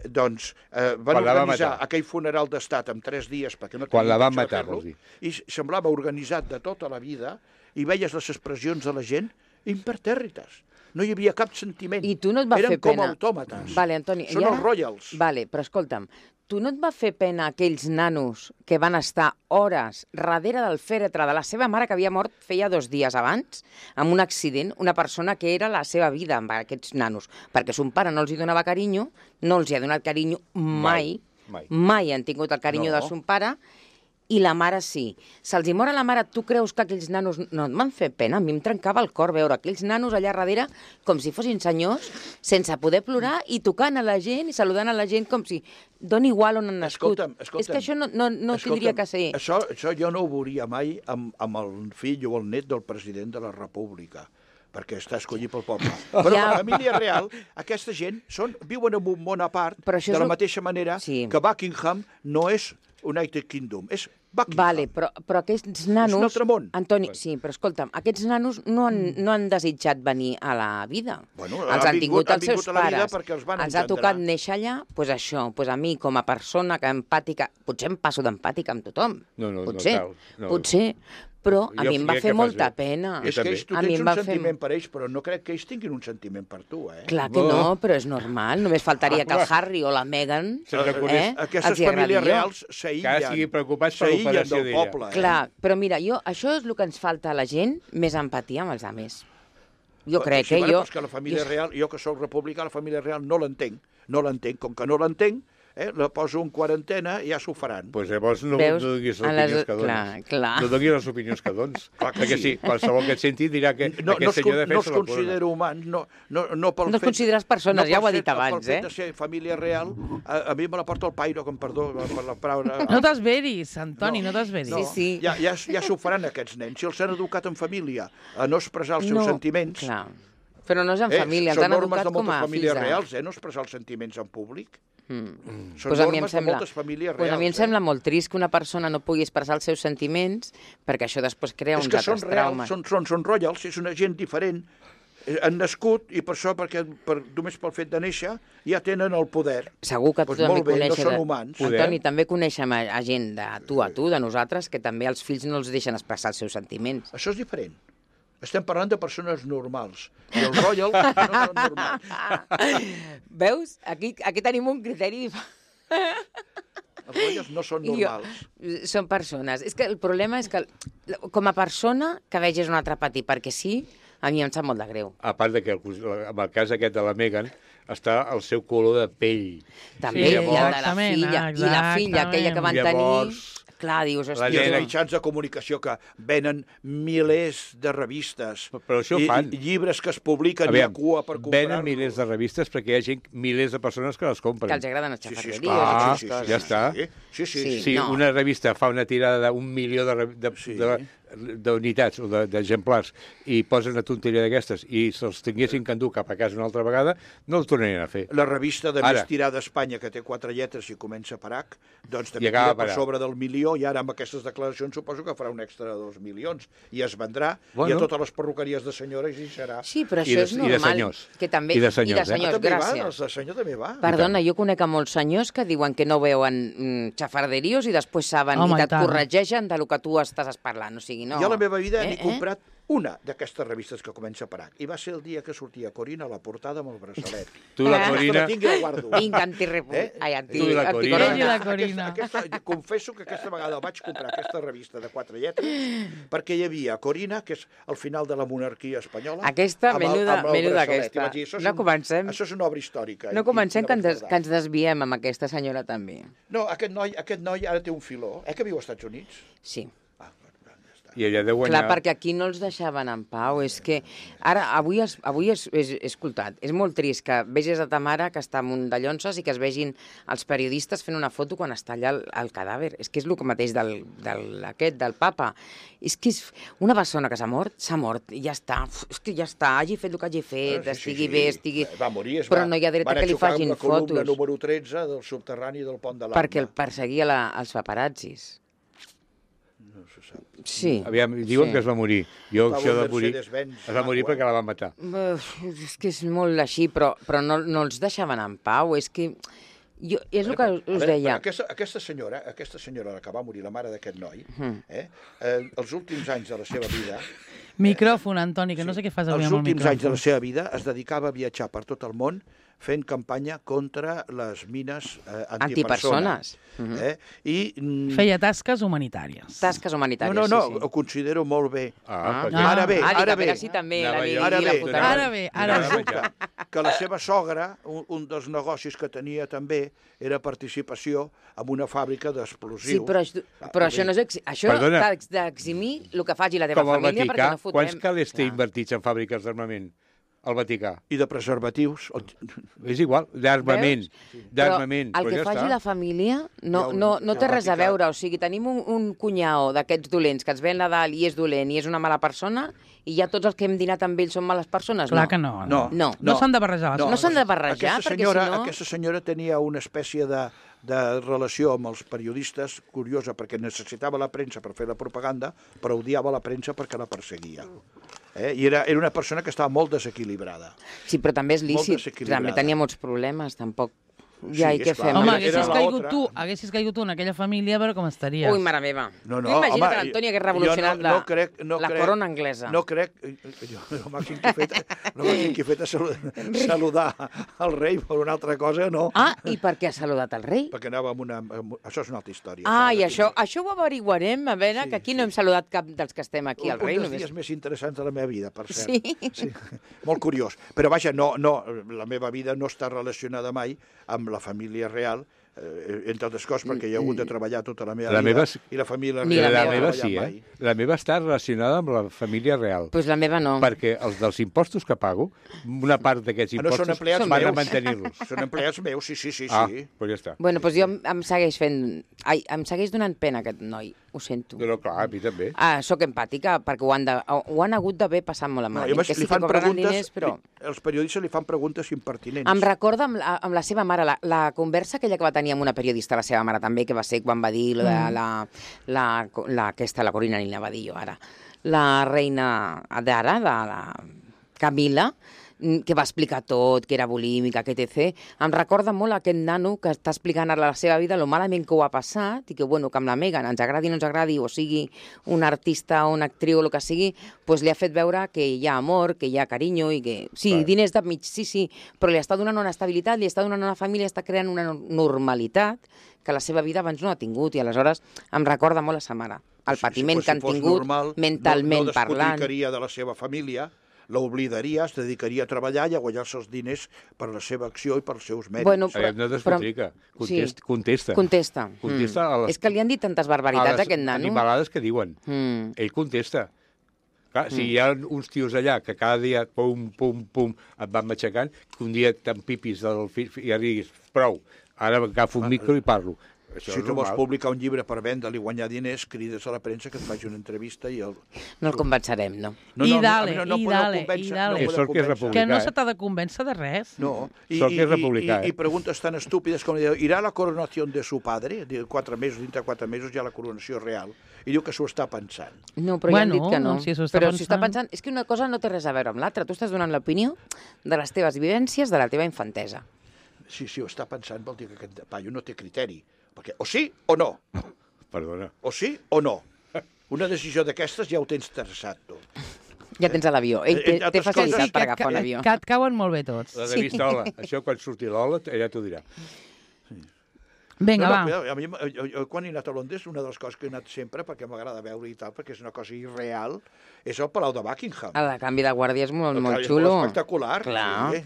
doncs van organitzar aquell funeral d'estat en 3 dies perquè no quan la van matar, vols dir. I semblava organitzat de tota la vida i veies les expressions de la gent impertèrrites. No hi havia cap sentiment. I tu no et va fer pena. Eren com autòmates. Vale, Antoni. Són els royals. Vale, però escolta'm, tu no et va fer pena aquells nanos que van estar hores darrere del fèretre de la seva mare que havia mort feia 2 dies abans, amb un accident, una persona que era la seva vida amb aquests nanos, perquè son pare no els hi donava carinyo, no els hi ha donat carinyo mai han tingut el carinyo de son pare, i la mare sí. Se'ls hi mor a la mare, tu creus que aquells nanos no et van fer pena? A mi em trencava el cor veure aquells nanos allà darrere com si fossin senyors, sense poder plorar i tocant a la gent i saludant a la gent com si dona igual on han nascut. Escolta'm. És que això no tindria que ser... Això jo no ho veuria mai amb el fill o el net del president de la República, perquè està escollit pel poble. Però la família real, aquesta gent, viuen en un món a part, de la mateixa manera que Buckingham no és United Kingdom, és Buckingham. Vale, però aquests nanos... És un altre món. Antoni, sí, però escolta'm, aquests nanos no han desitjat venir a la vida. Bueno, els han tingut els seus pares. Els ha tocat néixer allà, doncs això, doncs a mi com a persona que empàtica, potser em passo d'empàtica amb tothom. Potser, però a mi em va fer molta pena. És que tu tens un sentiment per ells, però no crec que ells tinguin un sentiment per tu, eh? Clar que no, però és normal. Només faltaria que el Harry o la Meghan aquestes famílies reals s'aïllen del poble. Clar, però mira, això és el que ens falta a la gent, més empatia amb els altres. Jo crec, que la família real, jo que soc republicà, la família real no l'entenc. Com que no l'entenc, la poso en quarantena i ja s'ho faran. Doncs llavors no donis les opinions que dones. No donis les opinions que dones. Perquè sí, qualsevol que et senti dirà que aquest senyor defensa la corona. No els considero humans, no pel fet... No els consideres persones, ja ho ha dit abans, Pel fet de ser família real, a mi me la porta el pairo, com perdó per la paraula... No t'esveris, Antoni, no t'esveris. Sí. Ja s'ho faran aquests nens. Si els han educat en família a no expressar els seus sentiments... Clar. Però no és en família, ens han educat com a fills. Són normes de moltes famílies reals, no expressar els sentiments en públic. Són normes de moltes famílies reals. A mi em sembla molt trist que una persona no pugui expressar els seus sentiments perquè això després crea uns altres traumes. És que són royals, és una gent diferent. Han nascut i per això, només pel fet de néixer, ja tenen el poder. Segur que tu també coneixes... No són humans. Antoni, també coneixem a gent de tu a tu, de nosaltres, que també els fills no els deixen expressar els seus sentiments. Això és diferent. Estem parlant de persones normals. I els royals no són normals. Veus? Aquí tenim un criteri... Els royals no són normals. Són persones. És que el problema és que, com a persona, que vegis un altre patir perquè sí, a mi em sap molt de greu. A part de que en el cas aquest de la Meghan està el seu color de pell. També, i el de la filla. I la filla, aquella que van tenir... Clar, dius, hòstia... I els mitjans de comunicació que venen milers de revistes. Però això ho fan. I llibres que es publiquen i a cua per comprar-los. Venen milers de revistes perquè hi ha gent, milers de persones que les compren. Que els agraden les xafarderies. Ja està. Si una revista fa una tirada d'1 milió d'unitats o d'exemplars i posen una tonteria d'aquestes i se'ls tinguessin que endur cap a casa una altra vegada, no el tornarien a fer. La revista de més tirada a Espanya, que té 4 lletres i comença per H, doncs també tira per sobre del milió i ara amb aquestes declaracions suposo que farà un extra de 2 milions i es vendrà i a totes les perruqueries de senyores hi serà. Sí, però això és normal. I de senyors. I de senyors, gràcies. El senyor també va. Perdona, jo conec a molts senyors que diuen que no veuen xafarderios i després saben i et corregeixen del que tu estàs parlant. O sigui, no. Jo a la meva vida n'he comprat una d'aquestes revistes que comença per H. I va ser el dia que sortia Corina a la portada amb el braçalet. Tu la Corina... Vinc anticorina. Confesso que aquesta vegada vaig comprar aquesta revista de 4 lletres perquè hi havia Corina, que és el final de la monarquia espanyola. Aquesta, menuda aquesta. No comencem... Això és una obra històrica. No comencem que ens desviem amb aquesta senyora també. No, aquest noi ara té un filó. Que viu als Estats Units? Sí. I ella deu guanyar... Clar, perquè aquí no els deixaven en pau. És que ara, avui he escoltat, és molt trist que vegis a ta mare que està amb un de llonses i que es vegin els periodistes fent una foto quan està allà el cadàver. És que és el mateix del papa. És que és una persona que s'ha mort, i ja està. És que ja està, hagi fet el que hagi fet, estigui bé, estigui... Va morir, però no hi ha dret que li facin fotos. Van a xocar amb la columna número 13 del subterrani del pont de l'Arma. Perquè el perseguia els paparazzis. Sí. Aviam, diuen que es va morir. Jo, això de morir, es va morir perquè la van matar. És que és molt així, però no els deixaven en pau. És que... és el que us deia. Aquesta senyora, la que va morir, la mare d'aquest noi, els últims anys de la seva vida... Micròfon, Antoni, que no sé què fas avui amb el micròfon. Els últims anys de la seva vida es dedicava a viatjar per tot el món fent campanya contra les mines antipersones. Feia tasques humanitàries. Tasques humanitàries, No, ho considero molt bé. Ara bé. Resulta que la seva sogra, un dels negocis que tenia també, era participació en una fàbrica d'explosius. Sí, però això no és... Això t'ha d'eximir el que faci la teva família perquè no fotrem... Quants calés té invertits en fàbriques d'armament? Al Vaticà. I de preservatius. És igual, d'armament. Però el que faci la família no té res a veure. O sigui, tenim un cunyau d'aquests dolents que ens ve a Nadal i és dolent i és una mala persona i ja tots els que hem dinat amb ells són males persones? Clar que no. No s'han de barrejar. No s'han de barrejar, perquè si no... Aquesta senyora tenia una espècie de relació amb els periodistes curiosa, perquè necessitava la premsa per fer la propaganda, però odiava la premsa perquè la perseguia. I era una persona que estava molt desequilibrada. Sí, però també és lícit. També tenia molts problemes, tampoc... Ja, i què fem? Home, haguessis caigut tu en aquella família, a veure com estaries. Ui, mare meva. Imagina't que l'Antoni hagués revolucionat la corona anglesa. No crec... El màxim que he fet és saludar el rei per una altra cosa, no. I per què ha saludat el rei? Perquè anava amb una... Això és una altra història. I això ho averiguarem, a veure, que aquí no hem saludat cap dels que estem aquí, el rei. Un dels dies més interessants de la meva vida, per cert. Sí. Molt curiós. Però vaja, la meva vida no està relacionada mai amb la família real, entre altres coses, perquè hi ha hagut de treballar tota la meva vida, i la família real la meva sí, La meva està relacionada amb la família real. Pues la meva no. Perquè els dels impostos que pago, una part d'aquests impostos van a mantenir-los. Són empleats meus, sí. Ah, doncs ja està. Bueno, doncs jo em segueix donant pena aquest noi, ho sento. No, clar, a mi també. Soc empàtica, perquè ho han hagut d'haver passat molt malament. Que sí que cobraran diners, però... Els periodistes li fan preguntes impertinents. Em recorda amb la seva mare, la conversa aquella que va tenir amb una periodista, la seva mare també, que va ser quan va dir la Corina ni la va dir jo ara, la reina d'ara, la Camila, que va explicar tot, que era bulímica, que etc. Em recorda molt aquest nano que està explicant ara la seva vida, lo malament que ho ha passat, i que, bueno, que amb la Megan, ens agradi o no ens agradi, o sigui un artista o una actriu o el que sigui, pues li ha fet veure que hi ha amor, que hi ha carinyo, i que sí, diners de mig, sí, però li està donant una estabilitat, li està donant una família, està creant una normalitat que la seva vida abans no ha tingut, i aleshores em recorda molt a sa mare, el patiment que han tingut mentalment parlant. No despotricaria de la seva família, l'oblidaria, es dedicaria a treballar i a guanyar-se els diners per la seva acció i pels seus mèrits. Bueno, no despotrica, contesta. És que li han dit tantes barbaritats a aquest nano. Animalades que diuen. Ell contesta. Clar, si hi ha uns tios allà que cada dia, pum, et van matxacant, que un dia t'empipis i ja diguis, prou, ara agafo un micro i parlo. Si tu vols publicar un llibre per vendre-li i guanyar diners, crides a la premsa que et faci una entrevista i el... No el convencerem, no? I dale. Que no se t'ha de convèncer de res. No. I preguntes tan estúpides com ¿irà la coronació de su padre? Dintre 4 mesos hi ha la coronació real. I diu que s'ho està pensant. No, però ja han dit que no. Però si està pensant... És que una cosa no té res a veure amb l'altra. Tu estàs donant l'opinió de les teves vivències, de la teva infantesa. Sí, ho està pensant, vol dir que aquest paio no té criteri. Perquè o sí o no. Perdona. O sí o no. Una decisió d'aquestes ja ho tens traçat, tu. Ja tens a l'avió. Ell té facilitat per agafar un avió. Que et cauen molt bé tots. La de vista Ola. Això quan surti l'Ola, ella t'ho dirà. Vinga, va. A mi, quan he anat a Londres, una de les coses que he anat sempre, perquè m'agrada veure i tal, perquè és una cosa irreal, és el Palau de Buckingham. El canvi de guàrdia és molt xulo. És espectacular. Clar.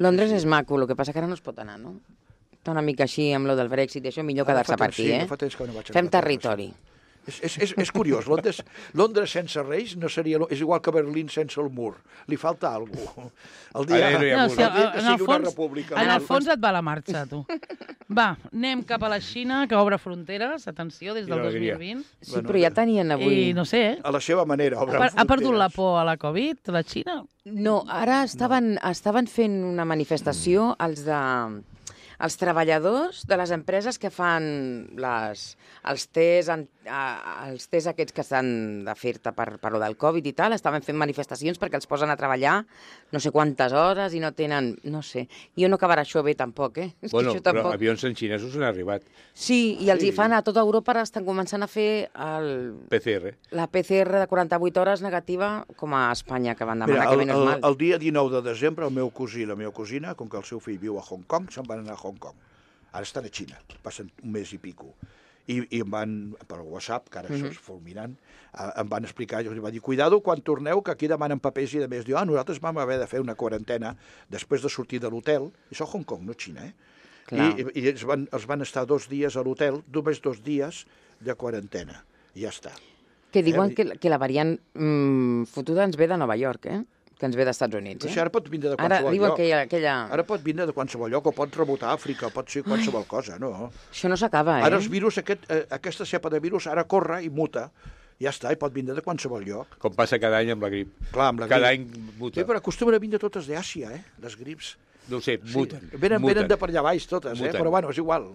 Londres és maco, el que passa que ara no es pot anar, no? Una mica així amb lo del Brexit i això, millor quedar-se per aquí, Fem territori. És curiós, Londres sense reis no seria... És igual que Berlín sense el mur. Li falta alguna cosa. El dia que sigui una república. En el fons et va la marxa, tu. Va, anem cap a la Xina, que obre fronteres, atenció, des del 2020. Sí, però ja tenien avui... I no sé, a la seva manera, obre fronteres. Ha perdut la por a la Covid, la Xina? No, ara estaven fent una manifestació els treballadors de les empreses que fan els tests aquests que s'han de fer-te per lo del Covid i tal, estaven fent manifestacions perquè els posen a treballar no sé quantes hores i no tenen... No sé. Jo no acabarà això bé, tampoc, Bueno, però avions en xinesos han arribat. Sí, i els hi fan a tota Europa, estan començant a fer PCR. La PCR de 48 hores negativa, com a Espanya, que van demanar que menys mal. El dia 19 de desembre, el meu cosí i la meva cosina, com que el seu fill viu a Hong Kong, se'n van anar a Hong Kong. Ara estan a Xina, passen un mes i pico. I em van, per WhatsApp, que ara això és fulminant, em van explicar, jo els vaig dir, cuidado quan torneu, que aquí demanen papers i de més. Diu, nosaltres vam haver de fer una quarantena després de sortir de l'hotel, això a Hong Kong, no Xina, I els van estar 2 dies a l'hotel, només 2 dies de quarantena, i ja està. Que diuen que la variant fotuda ens ve de Nova York, que ens ve dels Estats Units. Això ara pot vindre de qualsevol lloc. Ara pot vindre de qualsevol lloc, o pot rebotar a Àfrica, pot ser qualsevol cosa, no? Això no s'acaba, Ara els virus, aquesta cepa de virus, ara corre i muta. Ja està, i pot vindre de qualsevol lloc. Com passa cada any amb la grip. Clar, amb la grip. Cada any muta. Sí, però acostumen a vindre totes d'Àsia, les grips. No ho sé, muten. Venen de per allà baix totes, però bueno, és igual.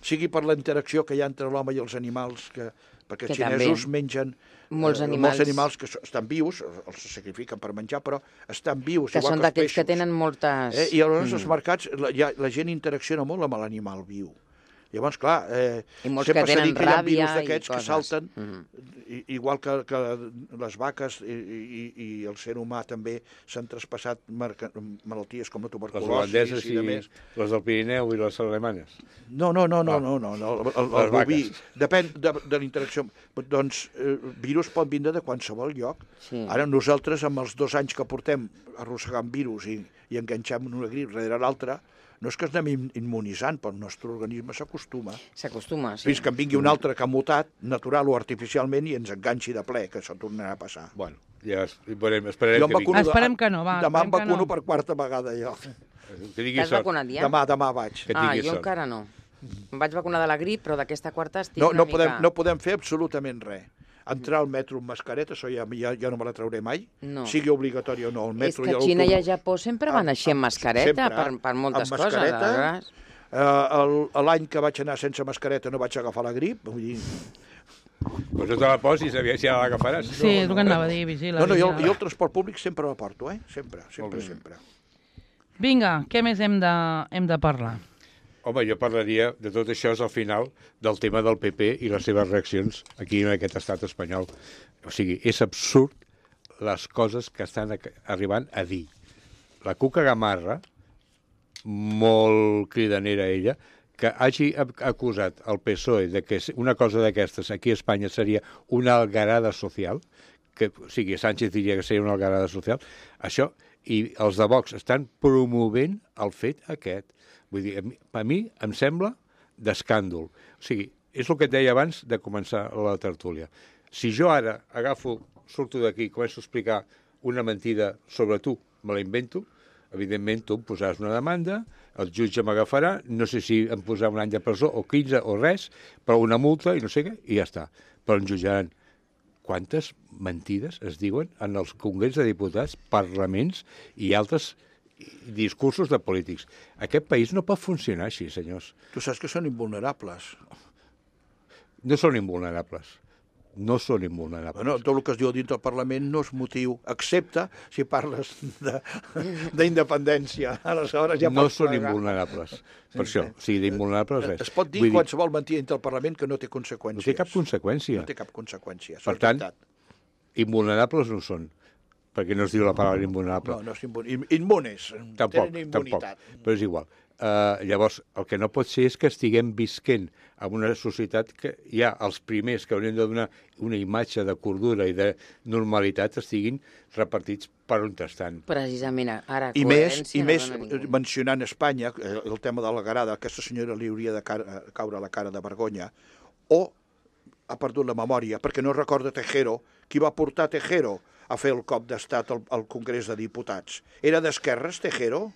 Sigui per la interacció que hi ha entre l'home i els animals, perquè els xinesos mengen molts animals que estan vius, els sacrifiquen per menjar, però estan vius, que són d'aquells que tenen moltes... I llavors als mercats la gent interacciona molt amb l'animal viu. Llavors, clar, sempre s'ha dit que hi ha virus d'aquests que salten, igual que les vaques i el ser humà també s'han traspassat malalties com la tuberculosi. Les holandeses i les del Pirineu i les alemanes. No, el boví. Depèn de la interacció. Doncs virus pot vindre de qualsevol lloc. Ara nosaltres, amb els 2 anys que portem arrossegant virus i enganxem una grip darrere l'altra, no és que es anem immunitzant, però el nostre organisme s'acostuma. S'acostuma, sí. Fins que en vingui un altre que ha mutat, natural o artificialment, i ens enganxi de ple, que això tornarà a passar. Bueno, ja esperem que vingui. Esperem que no, va. Demà em vacuno per quarta vegada, jo. T'has vacunat ja? Demà vaig. Jo encara no. Em vaig vacunar de la grip, però d'aquesta quarta estic una mica... No podem fer absolutament res. Entrar al metro amb mascareta, això ja no me la trauré mai, sigui obligatori o no. És que a Xina i a Japó sempre van així amb mascareta per moltes coses. L'any que vaig anar sense mascareta no vaig agafar la grip, vull dir... Pues no te la posis, si ja l'agafaràs. Sí, és el que anava a dir, vigila. Jo el transport públic sempre la porto, sempre. Vinga, què més hem de parlar? Home, jo parlaria de tot això al final del tema del PP i les seves reaccions aquí en aquest estat espanyol. O sigui, és absurd les coses que estan arribant a dir. La Cuca Gamarra, molt cridanera ella, que hagi acusat el PSOE de que una cosa d'aquestes aquí a Espanya seria una algarada social, o sigui, Sánchez diria que seria una algarada social, això, i els de Vox estan promovent el fet aquest. Vull dir, a mi em sembla d'escàndol. O sigui, és el que et deia abans de començar la tertúlia. Si jo ara surto d'aquí i començo a explicar una mentida sobre tu, me la invento, evidentment tu em posaràs una demanda, el jutge m'agafarà, no sé si em posarà un any de presó o 15 o res, però una multa i no sé què, i ja està. Però em jutjaran. Quantes mentides es diuen en els congrés de diputats, parlaments i altres discursos de polítics. Aquest país no pot funcionar així, senyors. Tu saps que són invulnerables. No són invulnerables. No són invulnerables. Bueno, tot el que es diu dins del Parlament no és motiu, excepte si parles d'independència. Aleshores ja no són invulnerables. Per això, o sigui, d'invulnerables res. Es pot dir qualsevol mentida dins del Parlament que no té conseqüències. No té cap conseqüència. No té cap conseqüència. Per tant, invulnerables no són. Perquè no es diu la paraula invulnerable. No, immunes. Tampoc, però és igual. Llavors, el que no pot ser és que estiguem visquent en una societat que ja els primers que haurien de donar una imatge de cordura i de normalitat estiguin repartits per on estan. Precisament, ara I més mencionant Espanya, el tema de la garada, aquesta senyora li hauria de caure la cara de vergonya, o ha perdut la memòria, perquè no recorda Tejero, qui va portar Tejero a fer el cop d'estat al Congrés de Diputats. Era d'esquerres, Tejero?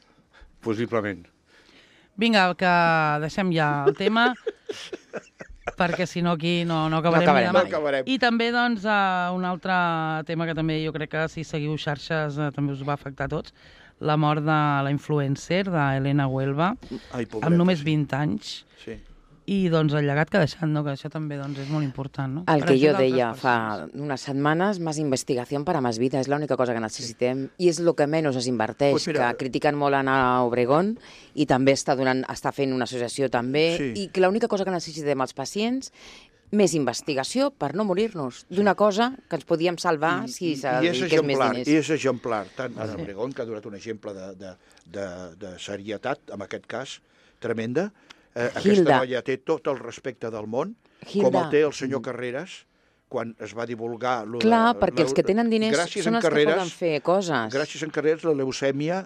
Possiblement. Vinga, que deixem ja el tema, perquè si no aquí no acabarem mai. I també, doncs, un altre tema que també jo crec que si seguiu xarxes també us va afectar a tots, la mort de la influencer, d'Helena Huelva, amb només 20 anys. Sí. I doncs el llegat que ha deixat, no? Que això també doncs, és molt important. ¿No? El que jo deia fa unes setmanes, més investigació per a més vida, és l'única cosa que necessitem i és el que menys es inverteix, pues mira, que critiquen molt Ana Obregón i també està fent una associació també, i que l'única cosa que necessitem els pacients més investigació per no morir-nos d'una cosa que ens podíem salvar si s'addediqués més diners. I és exemplar, tant Ana Obregón, que ha donat un exemple de serietat, en aquest cas, tremenda. Aquesta noia té tot el respecte del món, com el té el senyor Carreras, quan es va divulgar... Clar, perquè els que tenen diners són els que poden fer coses. Gràcies a Carreras, la leucèmia,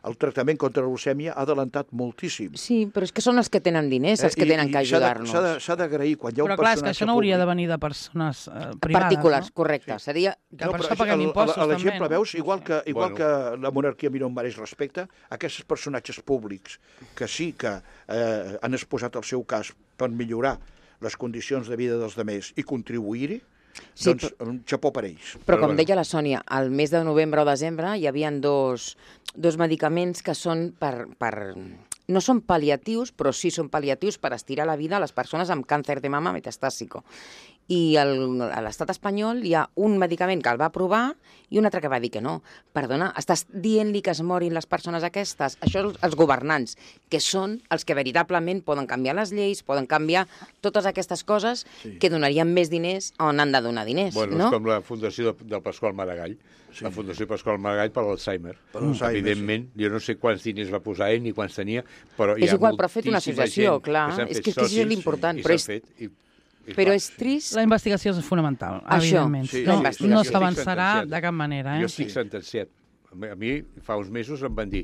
el tractament contra la leucèmia ha adelantat moltíssim. Sí, però és que són els que tenen diners, els que tenen que ajudar-nos. S'ha d'agrair quan hi ha un personatge públic... Però clar, és que això no hauria de venir de persones privades, particulars, correcte. Seria... Que per això paguem impostos, també. L'exemple, veus, igual que la monarquia a mi no em mereix respecte, aquests personatges públics que sí que han exposat el seu cas per millorar les condicions de vida dels demés i contribuir-hi, doncs un xapó per ells. Però com deia la Sònia, al mes de novembre o desembre hi havia dos medicaments que són no són pal·liatius, però sí són pal·liatius per estirar la vida a les persones amb càncer de mama metastàsico. I a l'estat espanyol hi ha un medicament que el va aprovar i un altre que va dir que no. Perdona, estàs dient-li que es morin les persones aquestes? Això els governants, que són els que veritablement poden canviar les lleis, poden canviar totes aquestes coses que donarien més diners on han de donar diners. Bueno, no? És com la fundació del Pasqual Maragall. La Fundació Pasqual Maragall per l'Alzheimer. Evidentment, jo no sé quants diners va posar ell ni quants tenia, però hi ha igual, però ha fet una associació, clar. És que això és l'important. Però és trist... La investigació és fonamental, evidentment. No s'avançarà de cap manera. Jo estic sentenciat. A mi fa uns mesos em van dir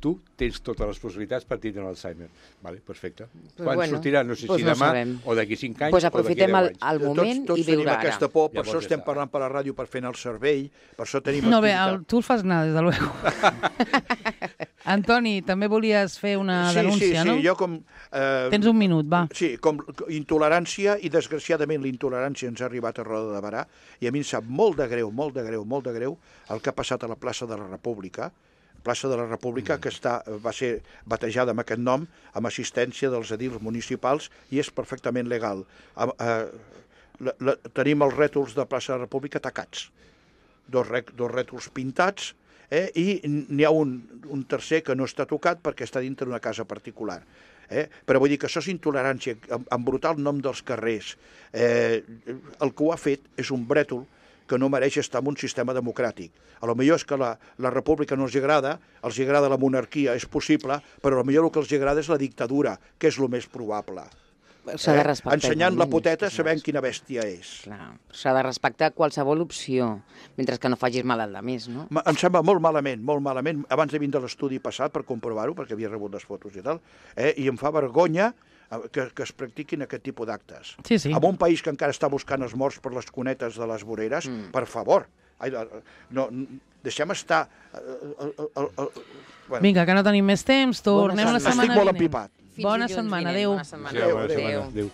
tu tens totes les possibilitats per tindre l'Alzheimer. Vale, perfecte. Quan sortirà? No sé si demà o d'aquí 5 anys o d'aquí 10 anys. Doncs aprofitem el moment tots i viure tenim aquesta por, per Llavors això estem parlant per la ràdio, per fer el cervell, per això tenim No, bé, activitat. tu el fas anar, des de luego. Antoni, també volies fer una denúncia, no? Sí, jo com... Tens un minut, va. Sí, com intolerància, i desgraciadament la intolerància ens ha arribat a Roda de Barà, i a mi em sap molt de greu el que ha passat a la plaça de la República, que va ser batejada amb aquest nom, amb assistència dels edils municipals, i és perfectament legal. Tenim els rètols de plaça de la República tacats, dos rètols pintats, i n'hi ha un tercer que no està tocat perquè està dintre d'una casa particular. Però vull dir que això és intolerància, embrutar el nom dels carrers. El que ho ha fet és un brètol que no mereix estar en un sistema democràtic. A lo millor és que la república no els agrada la monarquia, és possible, però a lo millor el que els agrada és la dictadura, que és el més probable. S'ha de respectar. Ensenyant la poteta sabem quina bèstia és. S'ha de respectar qualsevol opció, mentre que no facis mal al demés, no? Em sembla molt malament, abans de vindre a l'estudi passat per comprovar-ho, perquè havia rebut les fotos i tal, i em fa vergonya que es practiquin aquest tipus d'actes. Sí. En un país que encara està buscant els morts per les cunetes de les voreres, per favor, deixem estar... Vinga, que no tenim més temps, tornem la setmana vinent. Estic molt empipat. Bona setmana, adéu. Adéu.